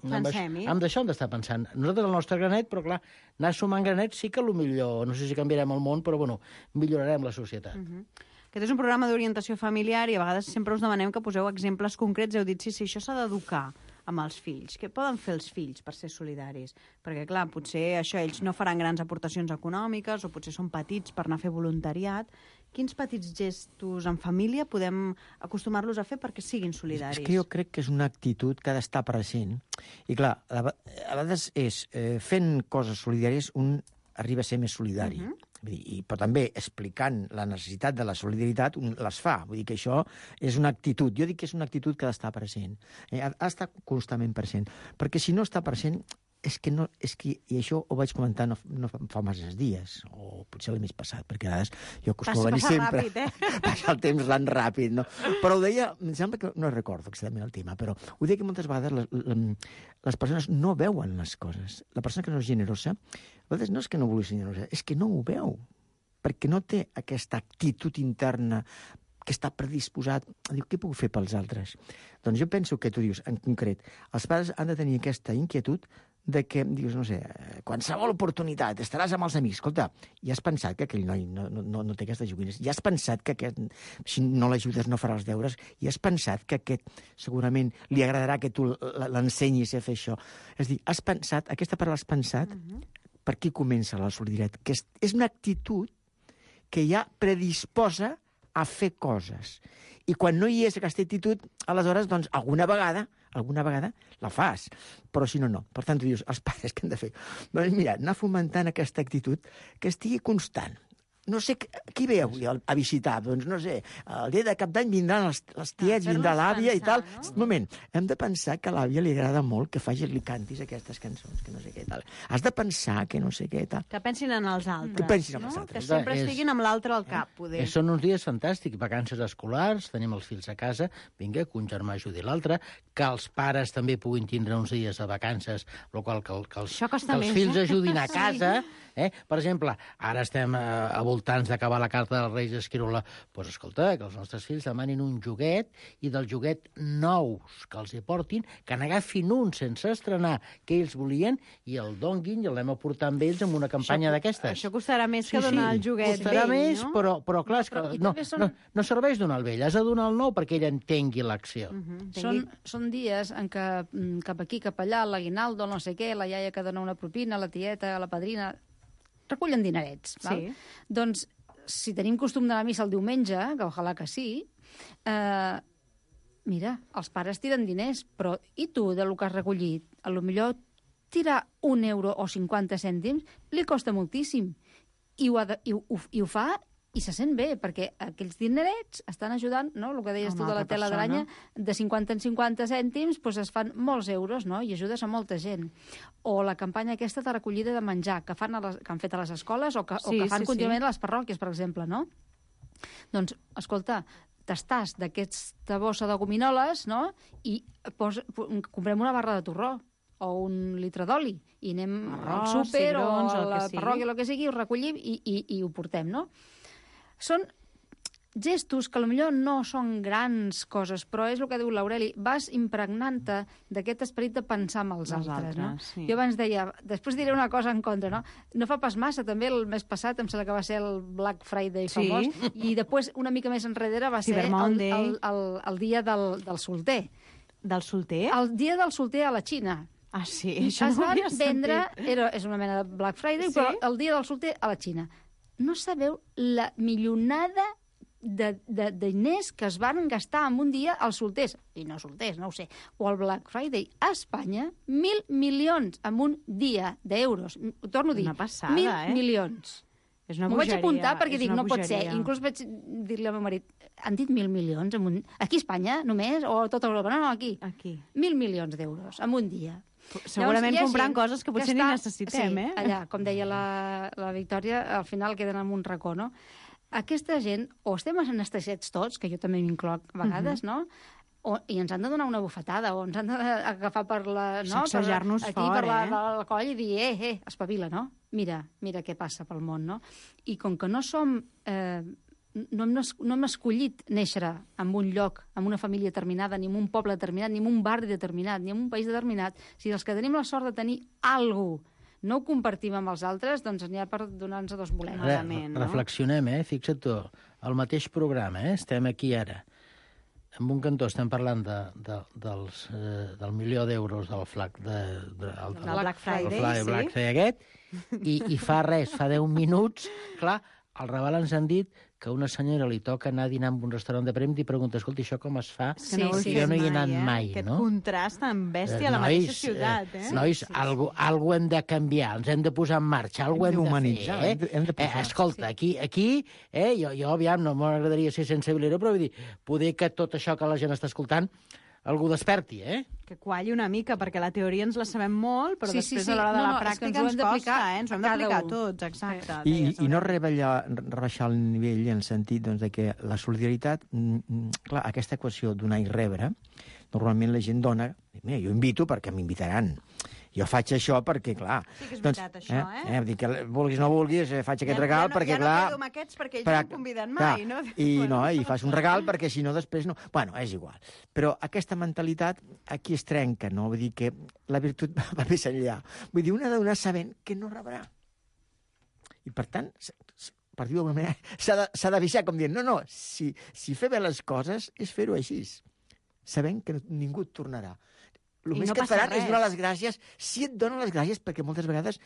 pensem-hi. Amb això hem d'estar pensant. Nosaltres el nostre granet, però clar, anar sumant granets sí que millor, no sé si canviarem el món, però bueno, millorarem la societat. Uh -huh. Aquest és un programa d'orientació familiar i a vegades sempre us demanem que poseu exemples concrets. Heu dit, sí, sí, això s'ha d'educar amb els fills. Què poden fer els fills per ser solidaris? Perquè, clar, potser això ells no faran grans aportacions econòmiques o potser són petits per anar a fer voluntariat. Quins petits gestos en família podem acostumar-los a fer perquè siguin solidaris? És que jo crec que és una actitud que ha d'estar present. I, clar, a vegades és eh, fent coses solidàries un arriba a ser més solidari. Uh -huh. Vull dir, i, però també explicant la necessitat de la solidaritat un les fa. Vull dir que això és una actitud. Jo dic que és una actitud que ha d'estar present. Eh, ha d'estar constantment present. Perquè si no està present, és que no... És que, i això ho vaig comentar no, no fa masses dies, o potser el mes passat, perquè a vegades jo acostumo a venir sempre... Ràpid, eh? Passa el temps tan ràpid, no? Però ho deia... Em sembla que... No recordo exactament el tema, però ho deia que moltes vegades les, les persones no veuen les coses. La persona que no és generosa, a vegades no és que no vulgui ser generosa, és que no ho veu, perquè no té aquesta actitud interna que està predisposat a dir què puc fer pels altres. Doncs jo penso que tu dius, en concret, els pares han de tenir aquesta inquietud de que, dius, no sé, qualsevol oportunitat, estaràs amb els amics. Escolta, ja has pensat que aquell noi no, no, no té aquestes joguines, ja has pensat que aquest, si no l'ajudes no farà els deures, ja has pensat que aquest segurament li agradarà que tu l'ensenyis a fer això. És a dir, has pensat, aquesta paraula has pensat, uh-huh. Per qui comença la solidaritat? Que és, és una actitud que ja predisposa a fer coses. I quan no hi és aquesta actitud, aleshores, doncs, alguna vegada, alguna vegada la fas, però si no, no. Per tant, tu dius, els pares què han de fer? Doncs mira, anar fomentant aquesta actitud que estigui constant. No sé, qui ve avui a visitar? Doncs no sé, el dia de cap d'any vindran les, les tiets, ah, vindrà l'àvia i tal. No? Un moment, hem de pensar que a l'àvia li agrada molt que facis, li cantis aquestes cançons, que no sé què tal. Has de pensar que no sé què tal. Que pensin en els altres, que pensin en no? els altres. Que sempre és, estiguin amb l'altre al cap, poder. És, són uns dies fantàstics, vacances escolars, tenim els fills a casa, vinga, que un germà ajudi l'altre, que els pares també puguin tindre uns dies de vacances, el qual que, que, els, que els més, fills eh? ajudin a casa. Eh? Per exemple, ara estem eh, a voltants d'acabar la carta dels Reis d'Esquirola. Doncs pues, escolta, que els nostres fills demanin un joguet i del joguet nous que els hi portin, que n'agafin un sense estrenar que ells volien i el donguin i el anem a portar amb ells en una campanya d'aquestes. Això costarà més sí, que donar sí, el joguet costarà vell, més, no? però, però clar, és que però, no, són... no, no serveix donar el vell, has de donar el nou perquè ell entengui l'acció. Uh -huh. Són, són dies en què cap aquí, cap allà, l'aguinaldo, no sé què, la iaia que dona una propina, la tieta, la padrina... recullen dinerets. Val? Sí. Doncs, si tenim costum d'anar a missa el diumenge, que ojalà que sí, eh, mira, els pares tiren diners, però i tu, de lo que has recollit? A lo millor tirar un euro o cinquanta cèntims li costa moltíssim. I ho, ha de, i, ho, i ho fa i se sent bé, perquè aquells dinerets estan ajudant, no? El que deies tu de la tela d'aranya, de cinquanta en cinquanta cèntims doncs es fan molts euros, no? I ajudes a molta gent. O la campanya aquesta de recollida de menjar que, fan a les, que han fet a les escoles o que, sí, o que fan sí, contínuament sí. a les parròquies, per exemple, no? Doncs, escolta, t'estàs d'aquesta bossa de gominoles, no? I pos, comprem una barra de torró o un litre d'oli, i anem Arròs, al súper cigrons, o a la parròquia, el que sigui, ho recollim i, i, i ho portem, no? Són gestos que potser no són grans coses, però és el que diu l'Aureli, vas impregnant-te d'aquest esperit de pensar en els, els altres, altres, no? Sí. Jo abans deia, després diré una cosa en contra, no? No fa pas massa, també el mes passat, em sembla que va ser el Black Friday sí. famós, i després, una mica més enrere, va ser el, el, el, el dia del, del solter. Del solter? El dia del solter a la Xina. Ah, sí? Això es no van vendre, era, és una mena de Black Friday, sí? però el dia del solter a la Xina. No sabeu la millonada de, de, de diners que es van gastar en un dia als solters, i no solters, no ho sé, o al Black Friday a Espanya, mil milions en un dia d'euros. Ho torno a dir, una passada, mil eh? milions. És una M'ho vaig apuntar perquè dic, no pot ser. bogeria. Inclús vaig dir-li al meu marit, han dit mil milions en un... Aquí a Espanya, només? O a tota Europa? No, no, aquí. Aquí. Mil milions d'euros en un dia. Segurament Llavors, comprant coses que potser que està, ni necessitem, sí, eh? allà, com deia la, la Victòria, al final queden en un racó, no? Aquesta gent, o estem anestesiats tots, que jo també m'incloc a vegades, uh -huh. no? O, i ens han de donar una bufetada, o ens han d'agafar per la... No? Sacsejar-nos aquí, fort, per la, eh? la, la coll i dir, eh, eh, espavila, no? Mira, mira què passa pel món, no? I com que no som... Eh, no hem, no hem escollit néixer en un lloc, en una família determinada, ni en un poble determinat, ni en un barri determinat, ni en un país determinat, si els que tenim la sort de tenir alguna cosa no ho compartim amb els altres, doncs n'hi ha per donar-nos a dos bolets. Re, no? Reflexionem, eh? Fixa't tu, el mateix programa, eh? Estem aquí ara. En un cantó estem parlant de, de, dels, eh, del milió d'euros del flac de, de, el, del Black Friday, el Black, sí. Black Friday aquest, i, i fa res, fa deu minuts, clar, al Raval ens han dit que a una senyora li toca anar a dinar en un restaurant de premi i pregunta, escolta, això com es fa? Sí, sí, jo no hi he anat eh? mai, Aquest no? Aquest contrast tan bèstia eh, a la nois, mateixa ciutat, eh? eh nois, sí, sí. Algo, algo hem de canviar, ens hem de posar en marxa, algo hem, hem de fer, eh? Hem de, hem de posar, eh escolta, sí. aquí, aquí eh, jo, jo aviam, no m'agradaria ser sensibilero, però vull dir, poder que tot això que la gent està escoltant algú desperti, eh? Que qualli una mica, perquè la teoria ens la sabem molt, però sí, després sí, sí. a l'hora de no, la no, pràctica ens, ens costa, eh? Ens ho hem d'aplicar tots, exacte. I, i no rebaixar, rebaixar el nivell en el sentit doncs, de que la solidaritat, mm, clar, aquesta equació donar i rebre, normalment la gent dona, mira, jo invito perquè m'invitaran. Jo faig això perquè, clar... Sí que és veritat, doncs, això, eh? eh? Dir que vulguis o no vulguis, eh, faig aquest ja, regal ja no, perquè, ja clar... Ja no quedo amb aquests perquè ells no em conviden mai, no? I, no, i fas un regal perquè si no després no... Bueno, és igual. Però aquesta mentalitat aquí es trenca, no? Vull dir que la virtut va més enllà. Vull dir, una ha de donar sabent que no rebrà. I, per tant, per dir-ho d'alguna manera, s'ha d'avisar com dient, no, no, si, si fer bé les coses és fer-ho així, sabent que ningú et tornarà. El més no que et faran res. és donar les gràcies, si et donen les gràcies, perquè moltes vegades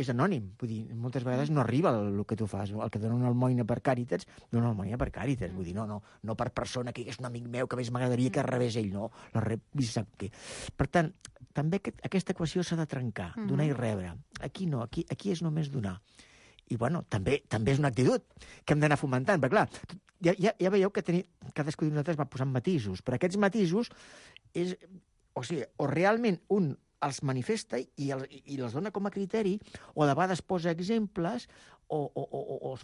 és anònim, vull dir, moltes vegades no arriba el, el que tu fas. El que dona una almoina per Càritas, dona una almoina per Càritas, vull dir, no, no, no per persona que és un amic meu, que més m'agradaria que rebés ell, no, la rep, sap què. Per tant, també aquesta equació s'ha de trencar, donar i rebre. Aquí no, aquí, aquí és només donar. I, bueno, també també és una actitud que hem d'anar fomentant, perquè, clar, ja, ja, ja veieu que tenir, cadascú de nosaltres va posant matisos, però aquests matisos és... O sigui, o realment un els manifesta i, el, i les dona com a criteri, o de vegades posa exemples, o, o, o, o els,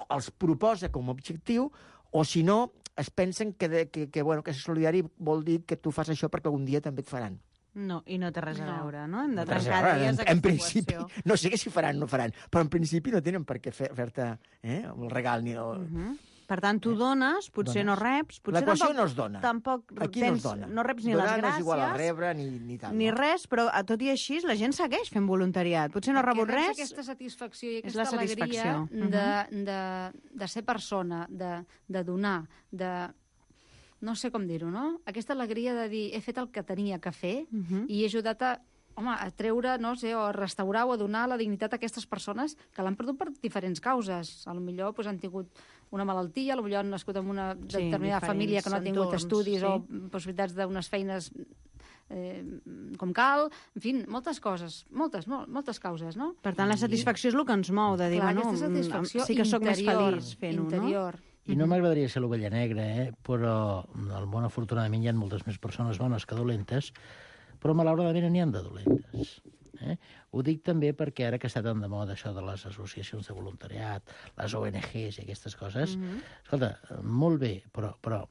els proposa com a objectiu, o si no, es pensen que, de, que, que, bueno, que ser solidari vol dir que tu fas això perquè algun dia també et faran. No, i no té res a veure, no? Hem de no trencar dies en, en principi, no sé si faran o no faran, però en principi no tenen per què fer-te eh, el regal ni el... Uh -huh. Per tant, tu dones, potser dones. no reps... Potser l'equació tampoc, no es dona. Tampoc aquí tens, no es dona. No reps ni Donar les gràcies... no és igual a rebre ni, ni tal. Ni no? res, però a tot i així la gent segueix fent voluntariat. Potser no ha rebut res... Aquesta satisfacció i és aquesta alegria uh -huh. de, de, de ser persona, de, de donar, de... No sé com dir-ho, no? Aquesta alegria de dir, he fet el que tenia que fer uh -huh. i he ajudat a... home, a treure, no sé, o a restaurar o a donar la dignitat a aquestes persones que l'han perdut per diferents causes. A lo millor pues, han tingut una malaltia, potser han nascut en una Sí, determinada diferents família que no ha tingut entorns, estudis sí. o possibilitats d'unes feines eh, com cal, en fi, moltes coses, moltes, mol, moltes causes, no? Per tant, la satisfacció és el que ens mou, de dir, Clar, bueno, aquesta satisfacció sí que sóc més interior, feliç fent-ho, interior. I no m'agradaria ser l'ovella negra, eh? Però al món, afortunadament, hi ha moltes més persones bones que dolentes, però malauradament n'hi ha de dolentes. Eh? Ho dic també perquè ara que està tan de moda això de les associacions de voluntariat, les O N Ges i aquestes coses, Mhm. escolta, molt bé, però, però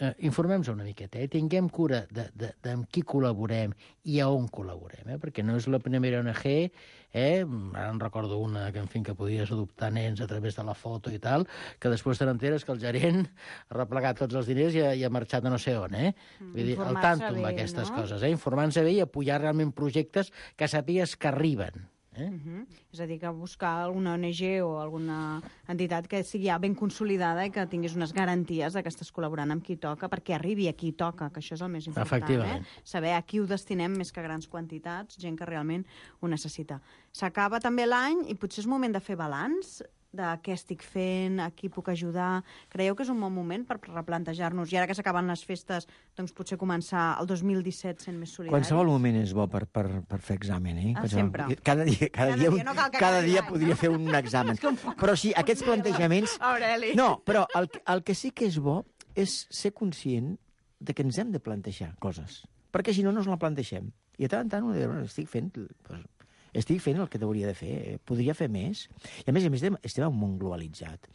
eh, informem-nos una miqueta, eh? Tinguem cura de, de, de amb qui col·laborem i a on col·laborem, eh? Perquè no és la primera O N G, eh? Ara en recordo una que, en fi, que podies adoptar nens a través de la foto i tal, que després te n'enteres que el gerent ha replegat tots els diners i ha, i ha marxat a no sé on, eh? Vull dir, al Informar-se tanto amb bé, aquestes no? coses, eh? Informant-se bé i apoyar realment projectes que sàpigues que arriben. Eh? Uh -huh. És a dir, que buscar alguna O N G o alguna entitat que sigui ja ben consolidada i que tinguis unes garanties de que estàs col·laborant amb qui toca, perquè arribi a qui toca, que això és el més important. Efectivament. Eh? Saber a qui ho destinem més que grans quantitats, gent que realment ho necessita. S'acaba també l'any i potser és moment de fer balanç de què estic fent, a qui puc ajudar. Creieu que és un bon moment per replantejar-nos, i ara que s'acaben les festes, doncs potser començar el dos mil disset sent més solidaris? Qualsevol moment és bo per, per, per fer examen, eh? Ah, Qualsevol- sempre. Cada dia, cada Cada dia, dia, no cal que cada acabi dia l'any, podria no? fer un examen. Però sí, aquests plantejaments... Aureli. No, però el, que- el que sí que és bo és ser conscient de que ens hem de plantejar coses, perquè si no, no ens la plantegem. I de tant en tant, ho diré, estic fent... Doncs, estic fent el que hauria de fer, podria fer més. I a més a més estem, estem en un món globalitzat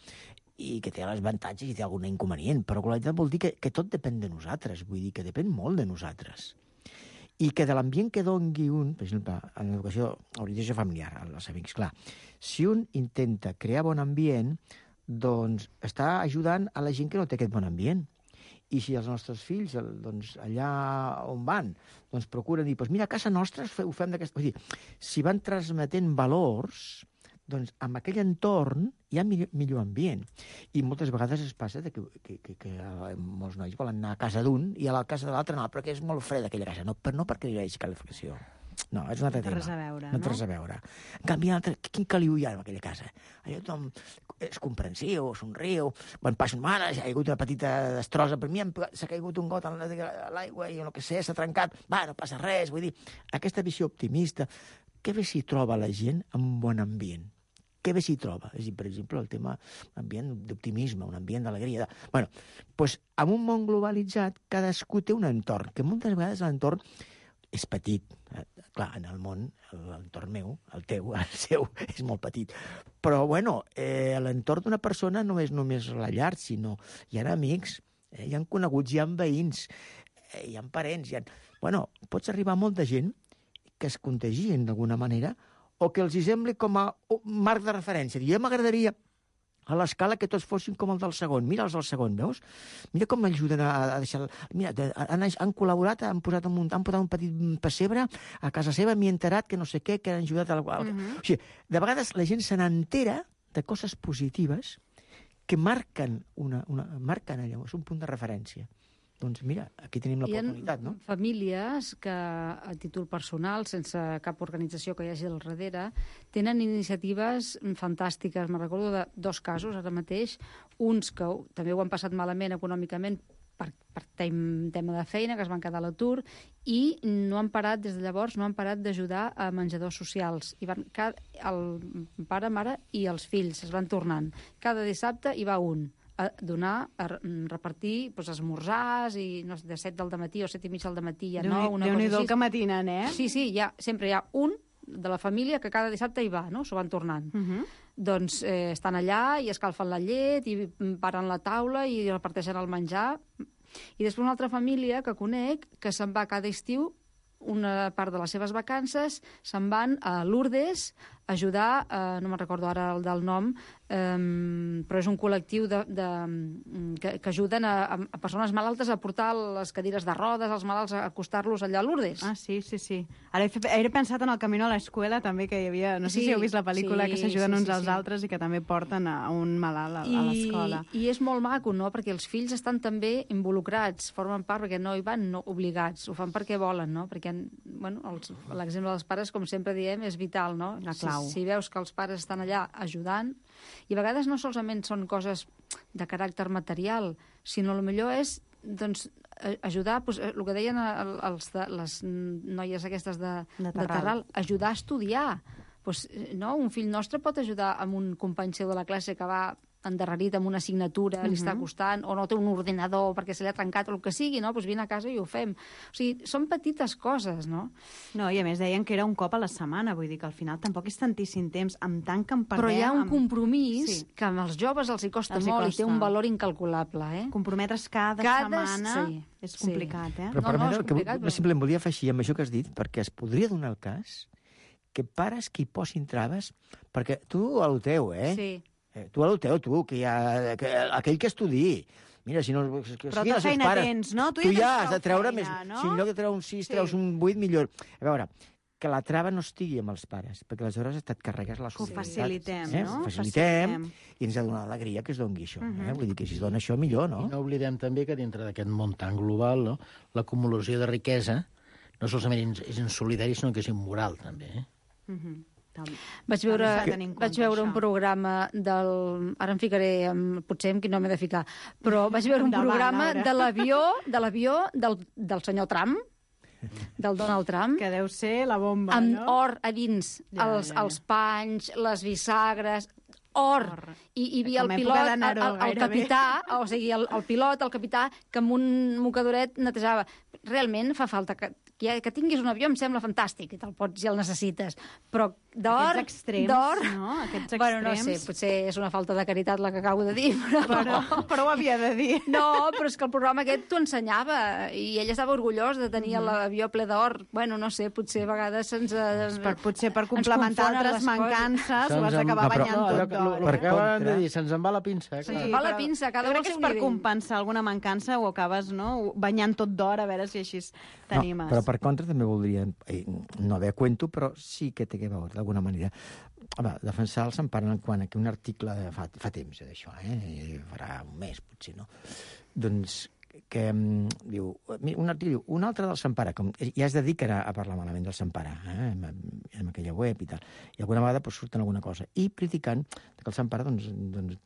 i que té els avantatges i té algun inconvenient, però globalitzat vol dir que, que tot depèn de nosaltres, vull dir que depèn molt de nosaltres. I que de l'ambient que dongui un, per exemple, en l'educació, l'orientació familiar, als amics, clar, si un intenta crear bon ambient, doncs està ajudant a la gent que no té aquest bon ambient. I si els nostres fills, el, doncs, allà on van, doncs procuren dir, doncs mira, a casa nostra ho fem d'aquesta... Vull dir, si van transmetent valors, doncs amb aquell entorn hi ha millor, millor ambient. I moltes vegades es passa de que, que, que, que molts nois volen anar a casa d'un i a la casa de l'altre no, perquè és molt fred aquella casa. No, però no perquè hi hagi calefacció. No, és un altre No té tema. res a veure, no? té no? res a veure. En canvi, l'altre, quin caliu hi ha en aquella casa? Allò tothom és comprensiu, somriu, quan passa un mare, ha hagut una petita destrossa, per mi s'ha caigut un got a l'aigua i el que sé, s'ha trencat, va, no passa res, vull dir, aquesta visió optimista, què bé s'hi troba la gent amb un bon ambient? Què bé s'hi troba? És a dir, per exemple, el tema ambient d'optimisme, un ambient d'alegria. De... Bueno, doncs, en un món globalitzat, cadascú té un entorn, que moltes vegades l'entorn és petit. Eh? Clar, en el món, l'entorn meu, el teu, el seu, és molt petit. Però, bueno, eh, l'entorn d'una persona no és només la llar, sinó hi ha amics, eh, hi ha coneguts, hi ha veïns, eh, hi ha parents, hi ha... Bueno, pots arribar a molta gent que es contagien d'alguna manera o que els hi sembli com a marc de referència. Jo m'agradaria a l'escala que tots fossin com el del segon. Mira els del segon, veus? Mira com m'ajuden a, a deixar... Mira, han, han col·laborat, han posat, un, han posat un petit pessebre a casa seva, m'hi he enterat que no sé què, que han ajudat a... Uh -huh. O sigui, de vegades la gent se n'entera de coses positives que marquen, una, una, marquen allò, és un punt de referència. Doncs mira, aquí tenim l'oportunitat, no? Hi ha famílies que, a títol personal, sense cap organització que hi hagi al darrere, tenen iniciatives fantàstiques. Me recordo de dos casos ara mateix, uns que també ho han passat malament econòmicament per, per tem, tema de feina, que es van quedar a l'atur, i no han parat, des de llavors, no han parat d'ajudar a menjadors socials. I van, el pare, mare i els fills es van tornant. Cada dissabte hi va un a donar, a repartir doncs, esmorzars i no sé, de set del matí o set i mig del matí ja no, una cosa Déu-n'hi-do així. el que matinen, eh? Sí, sí, hi ha, sempre hi ha un de la família que cada dissabte hi va, no? S'ho van tornant. Uh -huh. Doncs eh, estan allà i escalfen la llet i paren la taula i reparteixen el menjar. I després una altra família que conec que se'n va cada estiu, una part de les seves vacances, se'n van a Lourdes a ajudar, eh, no me'n recordo ara el del nom, eh, però és un col·lectiu de, de, que, que ajuden a, a persones malaltes a portar les cadires de rodes, als malalts, a acostar-los allà a Lourdes. Ah, sí, sí, sí. Ara he, fe, he pensat en el Camino a l'escola també, que hi havia, no sé Sí, si heu vist la pel·lícula, sí, que s'ajuden sí, uns sí, als sí. altres i que també porten a un malalt a, I, a l'escola. I és molt maco, no?, perquè els fills estan també involucrats, formen part, perquè no hi van no obligats, ho fan perquè volen, no?, perquè, bueno, l'exemple dels pares, com sempre diem, és vital, no? Ah, Si clau. si veus que els pares estan allà ajudant, i a vegades no solament són coses de caràcter material, sinó el millor és doncs, ajudar, doncs, el que deien els de, les noies aquestes de, de, Terral. de Terral, ajudar a estudiar. Pues, no? Un fill nostre pot ajudar amb un company seu de la classe que va endarrerit amb una assignatura, uh-huh. li està costant, o no té un ordinador perquè se li ha trencat, o el que sigui, no? Pues vine a casa i ho fem. O sigui, són petites coses, no? No, i a més deien que era un cop a la setmana, vull dir que al final tampoc és tantíssim temps, amb tant que en perdem... Però hi ha un amb... compromís sí. que amb els joves els hi costa els hi molt costa. I té un valor incalculable, eh? Comprometre's cada, cada setmana sí. és complicat, sí. eh? Però no, no, és és complicat, que, però... simplement volia afegir amb això que has dit, perquè es podria donar el cas que pares que hi posin traves, perquè tu a lo teu, eh? Sí. Eh, tu a lo teu, tu, que hi ha, que, aquell que estudi. Mira, si no... Que, però tu feina pares, tens, no? Tu, tu ja has de treure feina, més... No? Si en lloc de treure un sis, sí. treus un vuit, millor. A veure, que la trava no estigui amb els pares, perquè aleshores et carregues la solidaritat. Que ho facilitem, eh? no? Facilitem, facilitem, i ens ha de donar alegria que es doni això. Uh-huh. eh? Vull dir que si es dona això, millor, no? I no oblidem també que dintre d'aquest món tan global, no? L'acumulació de riquesa no solament és insolidari, sinó que és immoral, també, eh? Uh-huh. Vaig veure, vaig veure un programa del... Ara em ficaré, amb, potser amb qui no m'he de ficar, però vaig veure un programa de l'avió de l'avió del, del senyor Trump, del Donald Trump. Que deu ser la bomba, amb no? Amb or a dins, ja, els, ja, ja. els panys, les bisagres... Or. or. I hi havia el pilot, el, el, el capità, o sigui, el, el pilot, el capità, que amb un mocadoret netejava. Realment fa falta que, que, que tinguis un avió, em sembla fantàstic, i te'l pots si el necessites. Però d'or... Aquests extrems, d'or, no? Aquests extrems... Bueno, no sé, potser és una falta de caritat la que acabo de dir, però... Però, però ho havia de dir. No, però és que el programa aquest t'ho ensenyava, i ell estava orgullós de tenir mm. l'avió ple d'or. Bueno, no sé, potser a vegades se'ns... Per, potser per complementar altres mancances ho has d'acabar banyant no, tot d'or. Per què van de dir? Se'ns en va la pinça. Se'ns en va la pinça, cada un al seu nivell. Per compensar alguna mancança ho acabes, no?, banyant tot d'or, a veure si així t'animes. No, però per contra també voldria, eh, no haver cuento, però sí que té que veure, d'alguna manera. Home, defensar el Sant Pare quan aquí un article de fa, fa temps d'això, eh? Farà un mes, potser, no? Doncs que um, diu, un article diu, un altre del Sant Pare, com, ja es dediquen a, a parlar malament del Sant Pare, eh? en, en aquella web i tal, i alguna vegada pues, surten alguna cosa, i criticant que el Sant Pare doncs, doncs,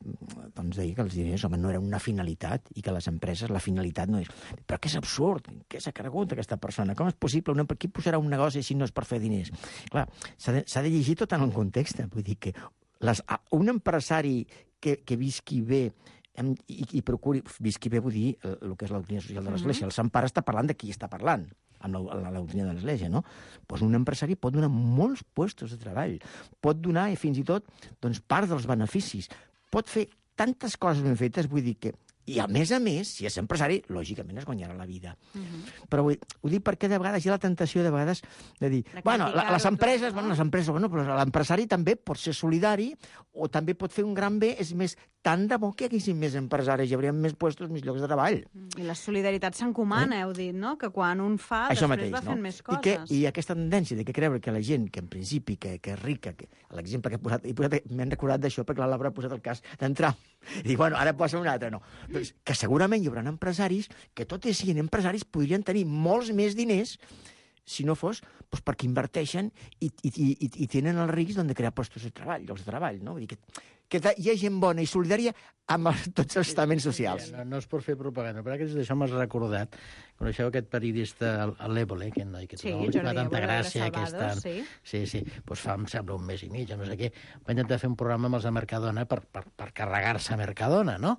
doncs deia que els diners, home, no era una finalitat, i que les empreses, la finalitat no és... Però que és absurd, què s'ha cregut aquesta persona? Com és possible? Una, per qui posarà un negoci si no és per fer diners? Clar, s'ha de, s'ha de llegir tot en el context, vull dir que les, un empresari que, que visqui bé i, i procuri, visqui bé, vull dir, el, el que és la doctrina social de l'Església. El Sant Pare està parlant de qui està parlant, amb la, la, la doctrina de l'Església, no? Doncs un empresari pot donar molts puestos de treball, pot donar, i fins i tot, doncs, part dels beneficis, pot fer tantes coses ben fetes, vull dir que... I, a més a més, si és empresari, lògicament es guanyarà la vida. Uh-huh. Però vull, ho dic perquè de vegades hi ha la tentació de vegades de dir, de bueno, la, les empreses, tot, no? bueno, les empreses, bueno, però l'empresari també pot ser solidari o també pot fer un gran bé, és més, tant de bo que hi haguessin més empresaris, hi hauria més puestos, més llocs de treball. I la solidaritat s'encomana, eh? heu dit, no? Que quan un fa, això després mateix, va fent no? més coses. I, que, I aquesta tendència de que creure que la gent, que en principi, que, que és rica, que, l'exemple que he posat, he posat m'he recordat d'això perquè la Laura ha posat el cas d'entrar i dir, bueno, ara posa un altre, no. Doncs que segurament hi haurà empresaris que, tot i sent empresaris, podrien tenir molts més diners si no fos doncs, perquè inverteixen i, i, i, i tenen el risc de crear postos de treball, llocs de treball, no? Vull dir que, que hi ha gent bona i solidària amb els, tots els estaments socials. No, no és per fer propaganda, però que d'això m'has recordat. Coneixeu aquest periodista, l'Ébole, aquest noi, que sí, no, Jordi, fa tanta gràcia. Salvados, aquesta... sí. Sí, sí. Pues fa, em sembla, un mes i mig, no sé què. Va intentar fer un programa amb els de Mercadona per, per, per carregar-se a Mercadona, no?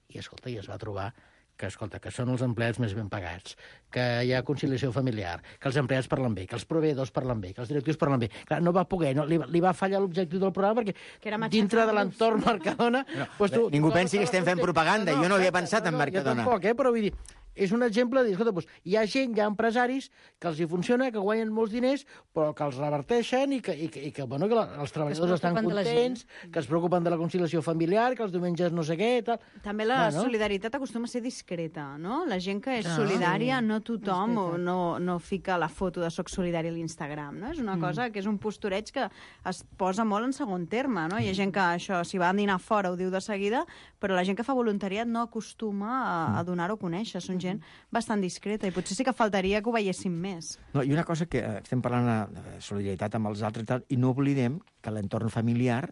I, escolta, i es va trobar que, escolta, que són els empleats més ben pagats, que hi ha conciliació familiar, que els empleats parlen bé, que els proveïdors parlen bé, que els directius parlen bé. Clar, no va poder, no, li, li va fallar l'objectiu del programa perquè que era dintre de l'entorn Mercadona... No, pues tu, ningú no, pensi que estem fent propaganda, no, no, jo no havia pensat no, en Mercadona. Jo tampoc, eh, però vull dir, és un exemple de dir, escolta, doncs, hi ha gent, hi ha empresaris que els hi funciona, que guanyen molts diners, però que els reverteixen i que, i que, i que, bueno, que la, els treballadors estan contents, que es preocupen de la conciliació familiar, que els diumenges no sé què, tal... També la bueno. solidaritat acostuma a ser discreta, no? La gent que és Ah, solidària, sí. no tothom no, no fica la foto de soc solidari a l'Instagram, no? És una Mm. cosa que és un postureig que es posa molt en segon terme, no? Hi ha gent que això, si va a dinar fora, ho diu de seguida, però la gent que fa voluntariat no acostuma a, a donar-ho a conèixer. Són gent gent bastant discreta, i potser sí que faltaria que ho veiéssim més. No, i una cosa que eh, estem parlant de solidaritat amb els altres i tal, i no oblidem que l'entorn familiar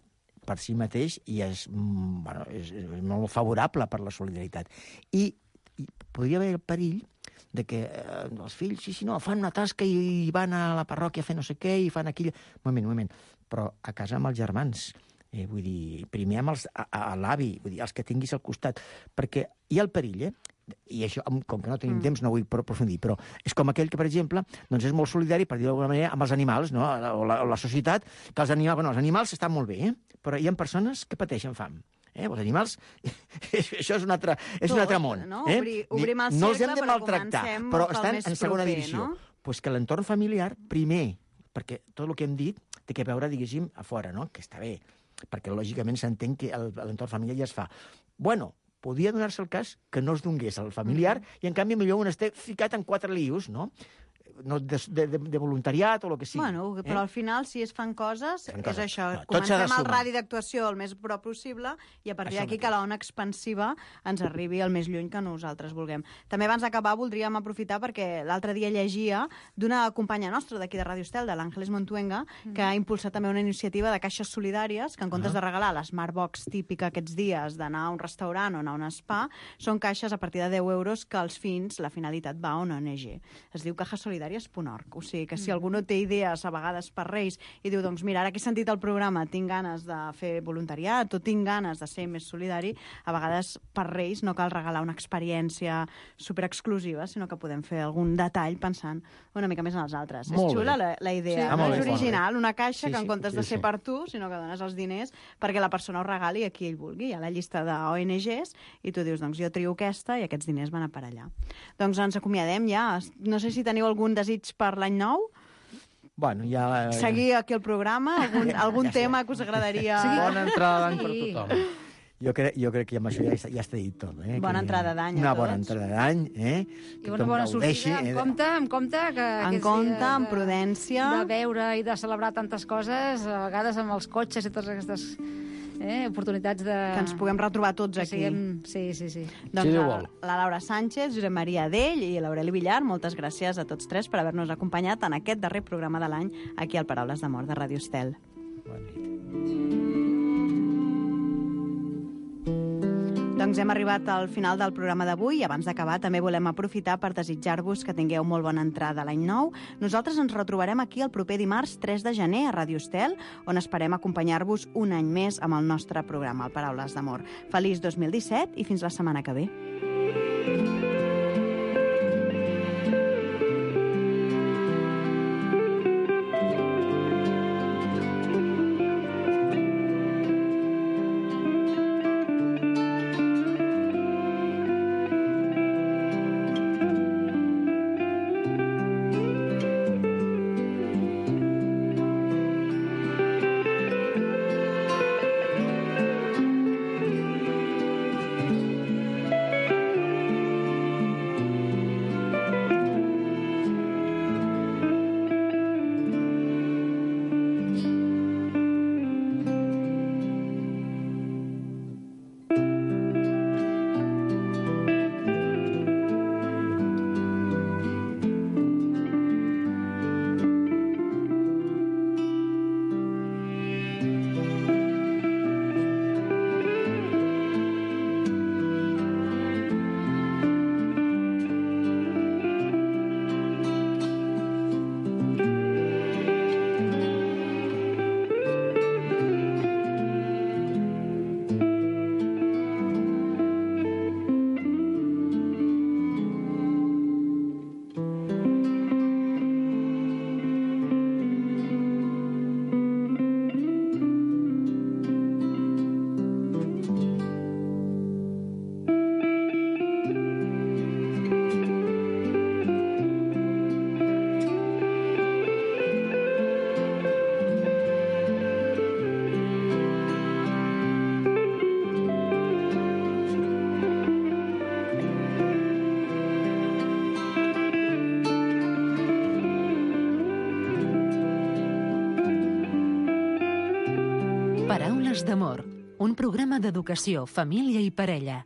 per si mateix i és, mm, bueno, és, és molt favorable per la solidaritat. I, i podria haver el perill de que eh, els fills, sí, sí, no, fan una tasca i, i van a la parròquia a fer no sé què i fan aquí... Un moment, un moment. Però a casa amb els germans, eh, vull dir, primer amb els, a, a l'avi, vull dir, els que tinguis al costat, perquè hi ha el perill, eh? I això, com que no tenim mm. temps, no vull aprofundir, però és com aquell que, per exemple, doncs és molt solidari, per dir-ho d'alguna manera, amb els animals, no? o, la, o la societat, que els animals, bueno, els animals estan molt bé, eh? Però hi ha persones que pateixen fam. Eh? Els animals, això és un altre, és un altre món. No? Eh? Obri, obrim el cercle, no els hem de maltractar, però estan en segona proper, divisió. No? Pues que l'entorn familiar, primer, perquè tot el que hem dit té que veure, diguéssim, a fora, no? Que està bé, perquè lògicament s'entén que l'entorn familiar ja es fa. Bueno, podia donar-se el cas que no es donés al familiar mm-hmm. i, en canvi, millor un esté ficat en quatre lius, no? No, de, de, de voluntariat o el que sigui. Bueno, però eh? al final, si es fan coses, fan és coses. això. No, comencem el radi d'actuació el més prop possible i a partir d'aquí que la ona expansiva ens arribi el més lluny que nosaltres vulguem. També abans d'acabar voldríem aprofitar perquè l'altre dia llegia d'una companya nostra d'aquí de Ràdio Estel, de l'Àngeles Montuenga, mm. que ha impulsat també una iniciativa de caixes solidàries que en comptes uh -huh. de regalar la Smartbox típica aquests dies d'anar a un restaurant o anar a un spa, són caixes a partir de deu euros que els fins, la finalitat va a una O N G. Es diu caixes solidàries punt org. O sigui que si algú no té idees a vegades per Reis i diu, doncs mira, ara que he sentit el programa tinc ganes de fer voluntariat o tinc ganes de ser més solidari, a vegades per Reis no cal regalar una experiència superexclusiva, sinó que podem fer algun detall pensant una mica més en els altres. Molt és xula bé. la, la idea, Sí, no? molt És bé, original, molt una caixa sí, que en sí, comptes sí, de ser sí. per tu, sinó que dones els diners perquè la persona ho regali a qui ell vulgui. Hi ha la llista d'O N Gs i tu dius, doncs jo trio aquesta i aquests diners van a per allà. Doncs ens acomiadem ja. No sé si teniu algun desig per l'any nou? Bueno, ja... Seguir aquí el programa? Algun, algun ja tema que us agradaria... Sí. Bona entrada d'any per Sí. tothom. Jo crec, jo crec que amb això ja, està- ja està dit tot. Eh? Bona Que- entrada d'any a Una tots. bona entrada d'any, eh? I una bona sortida, amb compte, amb compte que En aquests compte, dies amb de- prudència. De veure i de celebrar tantes coses, a vegades amb els cotxes i totes aquestes eh, oportunitats de... Que ens puguem retrobar tots que aquí. siguem... Sí, sí, sí. Doncs la, la Laura Sánchez, Josep Maria Dell i l'Aureli Villar, moltes gràcies a tots tres per haver-nos acompanyat en aquest darrer programa de l'any aquí al Paraules d'Amor de Ràdio Estel. Doncs hem arribat al final del programa d'avui i abans d'acabar també volem aprofitar per desitjar-vos que tingueu molt bona entrada a l'any nou. Nosaltres ens retrobarem aquí el proper dimarts tres de gener a Ràdio Estel, on esperem acompanyar-vos un any més amb el nostre programa, el Paraules d'Amor. Feliç dos mil disset i fins la setmana que ve. Paraules d'Amor, un programa d'educació, família i parella